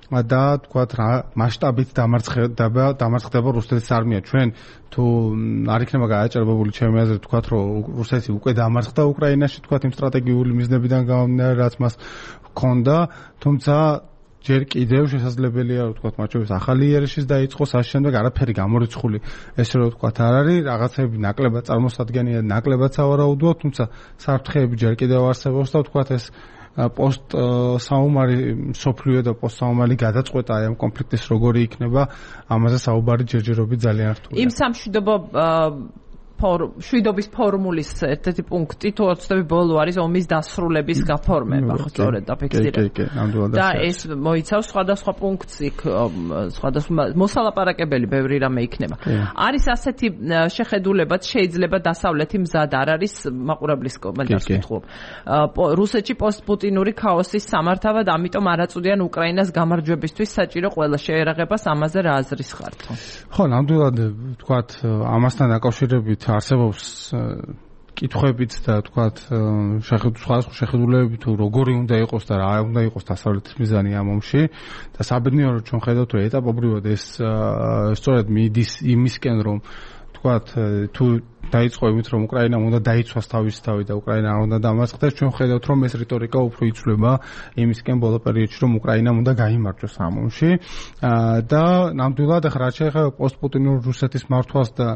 და თქვათ რა მასშტაბით დამარცხდება დამარცხდება რუსეთის არმია. ჩვენ თუ არ იქნება გააჭარბებული ჩემი აზრით თქვათ რომ რუსეთი უკვე დამარცხდა უკრაინაში, თქვათ იმ სტრატეგიული მიზნებიდან გამომდინარე რაც მას ჰქონდა, თუმცა ჯერ კიდევ შესაძლებელია რომ თქვათ მათ შორის ახალი იერიშის დაიწყოს, ამ შემდეგ არაფერი გამორიცხული ესე რომ თქვათ არ არის, რაღაცები ნაკლებად წარმოსადგენია, ნაკლებად სავარაუდოა, თუმცა საფრთხეები ჯერ კიდევ არსებობს და თქვათ ეს პოსტ საომარი სოფლიო და პოსტ საომარი გადაწყვეტა აი ამ კონფლიქტის როგორი იქნება, ამაზე საუბარი ჯერჯერობით ძალიან რთულია. იმ სამშვიდობო შვიდობის ფორმულის ერთ-ერთი პუნქტი თუ ოცდები ბოლო არის ომის დასრულების გაფორმება, ხო სწორედ დაფიქსირება. და ეს მოიცავს სხვადასხვა პუნქტს, იქ სხვადასხვა მოსალაპარაკებელი ბევრი რამე იქნება. არის ასეთი შეხედულებაც შეიძლება დასავლეთი მზად არ არის მაყურებლის კომენტარს ვკითხულობ. რუსეთში პოსტპუტინური ქაოსის სამართავად, ამიტომ არ აწვდიან უკრაინას გამარჯვებისთვის საჭირო ყველა შეერაღებას, ამაზე რა აზრის ხართ? ხო, ნამდვილად თქვათ ამასთან დაკავშირებით არსებობს კითხვებიც და თქვათ შეხედულებით შეხედულებები თუ როგორი უნდა იყოს და რა უნდა იყოს დასავლეთის მიზანი ამ ომში და საბედნიეროდ ჩვენ ხედავთ რომ ეტაპობრივად ეს სწორედ მიდის იმისკენ რომ თქვათ თუ დაიწყო იმით რომ უკრაინამ უნდა დაიცვას თავისი თავი და უკრაინა არ უნდა დამარცხდეს, ჩვენ ხედავთ რომ ეს რიტორიკა უფრო იცვლება იმისკენ ბოლო პერიოდში რომ უკრაინამ უნდა გაიმარჯვოს ამ ომში და ნამდვილად ახლა რაც შეეხება პოსტპუტინურ რუსეთის მართვას და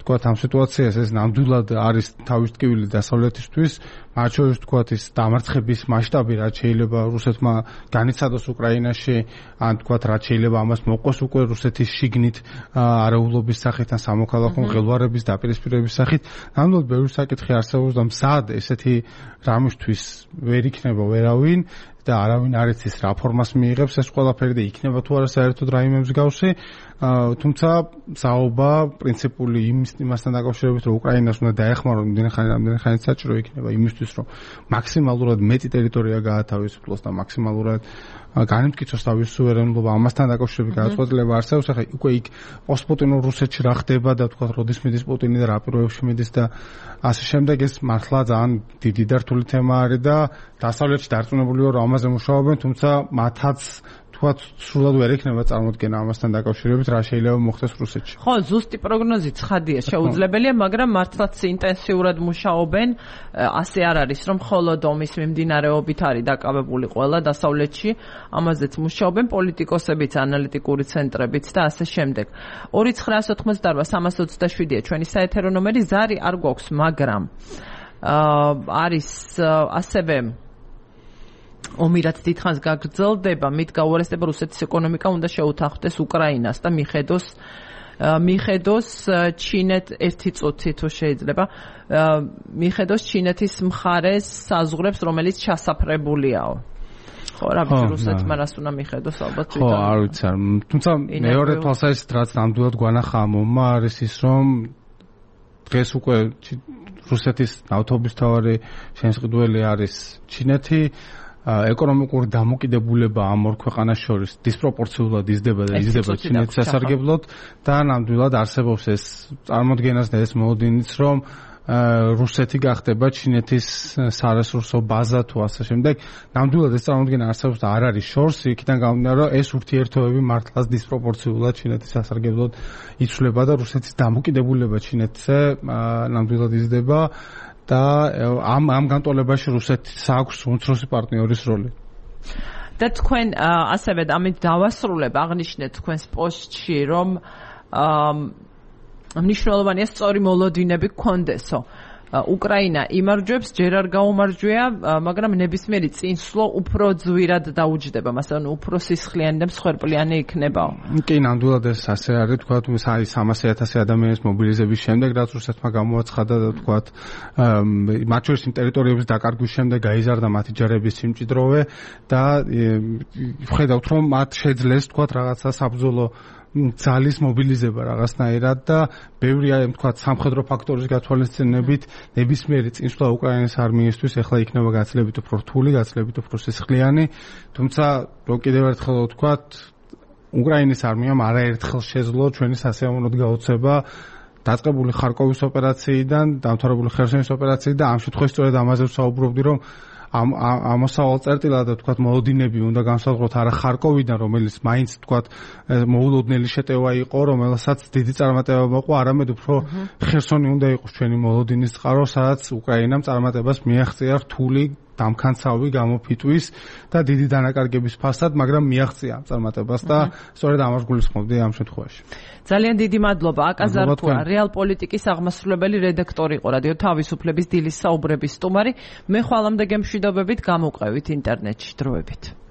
თქვათ ამ სიტუაციას ეს ნამდვილად არის თავის ტკივილი დასავლეთისთვის, მათ შორის თქვათ ის დამარცხების მასშტაბი რაც შეიძლება რუსეთმა განიცადოს უკრაინაში, ან თქვათ რაც შეიძლება ამას მოყოს უკვე რუსეთის შიგნით არეულობის სახით ან სამოქალაქო მღელვარების დაპირისპირების სახით, ნამდვილად ბევრი საკითხი არსებობს და მზად ესეთი რამისთვის ვერ იქნება ვერავინ და არავინ არ იცის რა ფორმას მიიღებს ეს ყველაფერი და იქნება თუ არა საერთოდ რაიმე მსგავსი, თუმცა საუბა პრინციპული იმის იმასთან დაკავშირებით რომ უკრაინას უნდა დაეხმაროს იმდენი ხანი რამდენი ხანი საჭირო იქნება იმისთვის რომ მაქსიმალურად მეტი ტერიტორია გაათავისუფლოს და მაქსიმალურად განიმტკიცოს თავის სუვერენობა, ამასთან დაკავშირებით გადაწყვეტილება არსებობს. ახლა უკვე იქ პოსტპუტინურ რუსეთში რა ხდება და თქვა როდის მიდის პუტინი და რა პირობებში მიდის და ასე შემდეგ, ეს მართლა ძალიან დიდი და რთული თემა არის და დასავლეთში დარწმუნებული ვარ რომ ამაზე მუშაობენ, თუმცა მათაც თქვათ სრულად ვერ იქნება წარმოდგენა ამასთან დაკავშირებით რა შეიძლება მოხდეს რუსეთში. ხო, ზუსტი პროგნოზი ცხადია, შეუძლებელია, მაგრამ მართლაც ინტენსიურად მუშაობენ. ასე არ არის, რომ მხოლოდ ომის მიმდინარეობით არის დაკავებული ყველა დასავლეთში, ამაზეც მუშაობენ პოლიტიკოსებიც, ანალიტიკური ცენტრებიც და ასე შემდეგ. ორი ცხრაას ოთხმოცდაორ სამას ოცდაშვიდია ჩვენი საეთერო ნომერი, ზარი არ გვაქვს, მაგრამ არის ასევე ომი რაც დიდხანს გაგრძელდება, მით გაუარესდება რუსეთის ეკონომიკა უნდა შეუთანხმდეს უკრაინას და მიხედოს მიხედოს ჩინეთ ერთი წუთი თუ შეიძლება მიხედოს ჩინეთის მხარეს საზღვრებს რომელიც ჩასაფრებულიაო ხო რა ვიცი რუსეთმა რას უნდა მიხედოს ალბათ ხო არ ვიცი არ თუმცა მეორე თვალსაზრისით რაც ნამდვილად გვანახა მომმა არის ის რომ დღეს უკვე რუსეთის ნავთობისთავარი შემსყიდველი არის ჩინეთი ეკონომიკური დამოკიდებულება ამ ორ ქვეყანას შორის დისპროპორციულად იზრდება და იზრდება ჩინეთის სასარგებლოდ და ნამდვილად არსებობს ეს წარმოდგენას და ეს მოლოდინიც რომ რუსეთი გახდება ჩინეთის სარესურსო ბაზა თუ ასე შემდეგ. ნამდვილად ეს წარმოდგენა არსებობს და არ არის შორს, იქიდან გამომდინარე, რომ ეს ურთიერთობები მართლაც დისპროპორციულად ჩინეთის სასარგებლოდ იცვლება და რუსეთის დამოკიდებულება ჩინეთზე ნამდვილად იზრდება და ამ ამ განტოლებაში რუსეთს აქვს უმცროსი პარტნიორის როლი. და თქვენ ასევე ამით დავასრულებ აღნიშნეთ თქვენს პოსტში რომ მნიშვნელოვანია სწორი მოლოდინები გქონდესო. უკრაინა იმარჯვებს, ჯერ არ გაუმარჯვია, მაგრამ ნებისმიერი წინსვლა უფრო ძვირად დაუჯდება, მასალან, უფრო სისხლიანი და მსხვერპლიანი იქნებაო. კი, ნამდვილად ეს ასე არის, თქვათ, აი სამასი ათასი ადამიანის მობილიზების შემდეგ, რაც რუსეთმა გამოაცხადა და თქვათ, მათ შორის იმ ტერიტორიების დაკარგვის შემდეგ გაიზარდა მათი ჯარების სიმჭიდროვე და ხედავთ, რომ მათ შეძლეს, თქვათ, რაღაცა საბრძოლო ძალის მობილიზება რაღაცნაირად და ბევრი აი თქვა სამხედრო ფაქტორის გათვალისწინებით ნებისმიერი წინსვლა უკრაინის არმიისთვის ახლა იქნება გაცილებით უფრო რთული, გაცილებით უფრო სისხლიანი, თუმცა რო კიდევ ერთხელ ვთქვა, უკრაინის არმიამ არაერთხელ შეძლო ჩვენი სასიამოვნოდ გაუწება დაწყებული ხარკოვის ოპერაციიდან, დამთავრებული ხერსონის ოპერაციიდან და ამ შემთხვევაში სწორედ ამაზე ვსაუბრობდი, რომ ამ ამოსავალ წერტილად თქვათ მოლოდინები უნდა განსაზღვროთ არა ხარკოვიდან რომელიც მაინც თქვათ მოულოდნელი შეტევა იყო რომელსაც დიდი წარმატება მოყვა არამედ უფრო ხერსონი უნდა იყოს ჩვენი მოლოდინის წყარო სადაც უკრაინამ წარმატებას მიაღწია რთული დამქანცავი გამოფიტვის და დიდი დანაკარგების ფასად მაგრამ მიაღწია ამ წარმატებას და სწორედ ამას გულისხმობდი ამ შემთხვევაში ძალიან დიდი მადლობა აკაზარქვა რეალ პოლიტიკის აღმასრულებელი რედაქტორი იყო რადიო თავისუფლების დილის საუბრების სტუმარი მე ხვალამდე გემშვიდობებით გამოვყევით ინტერნეტში დროებით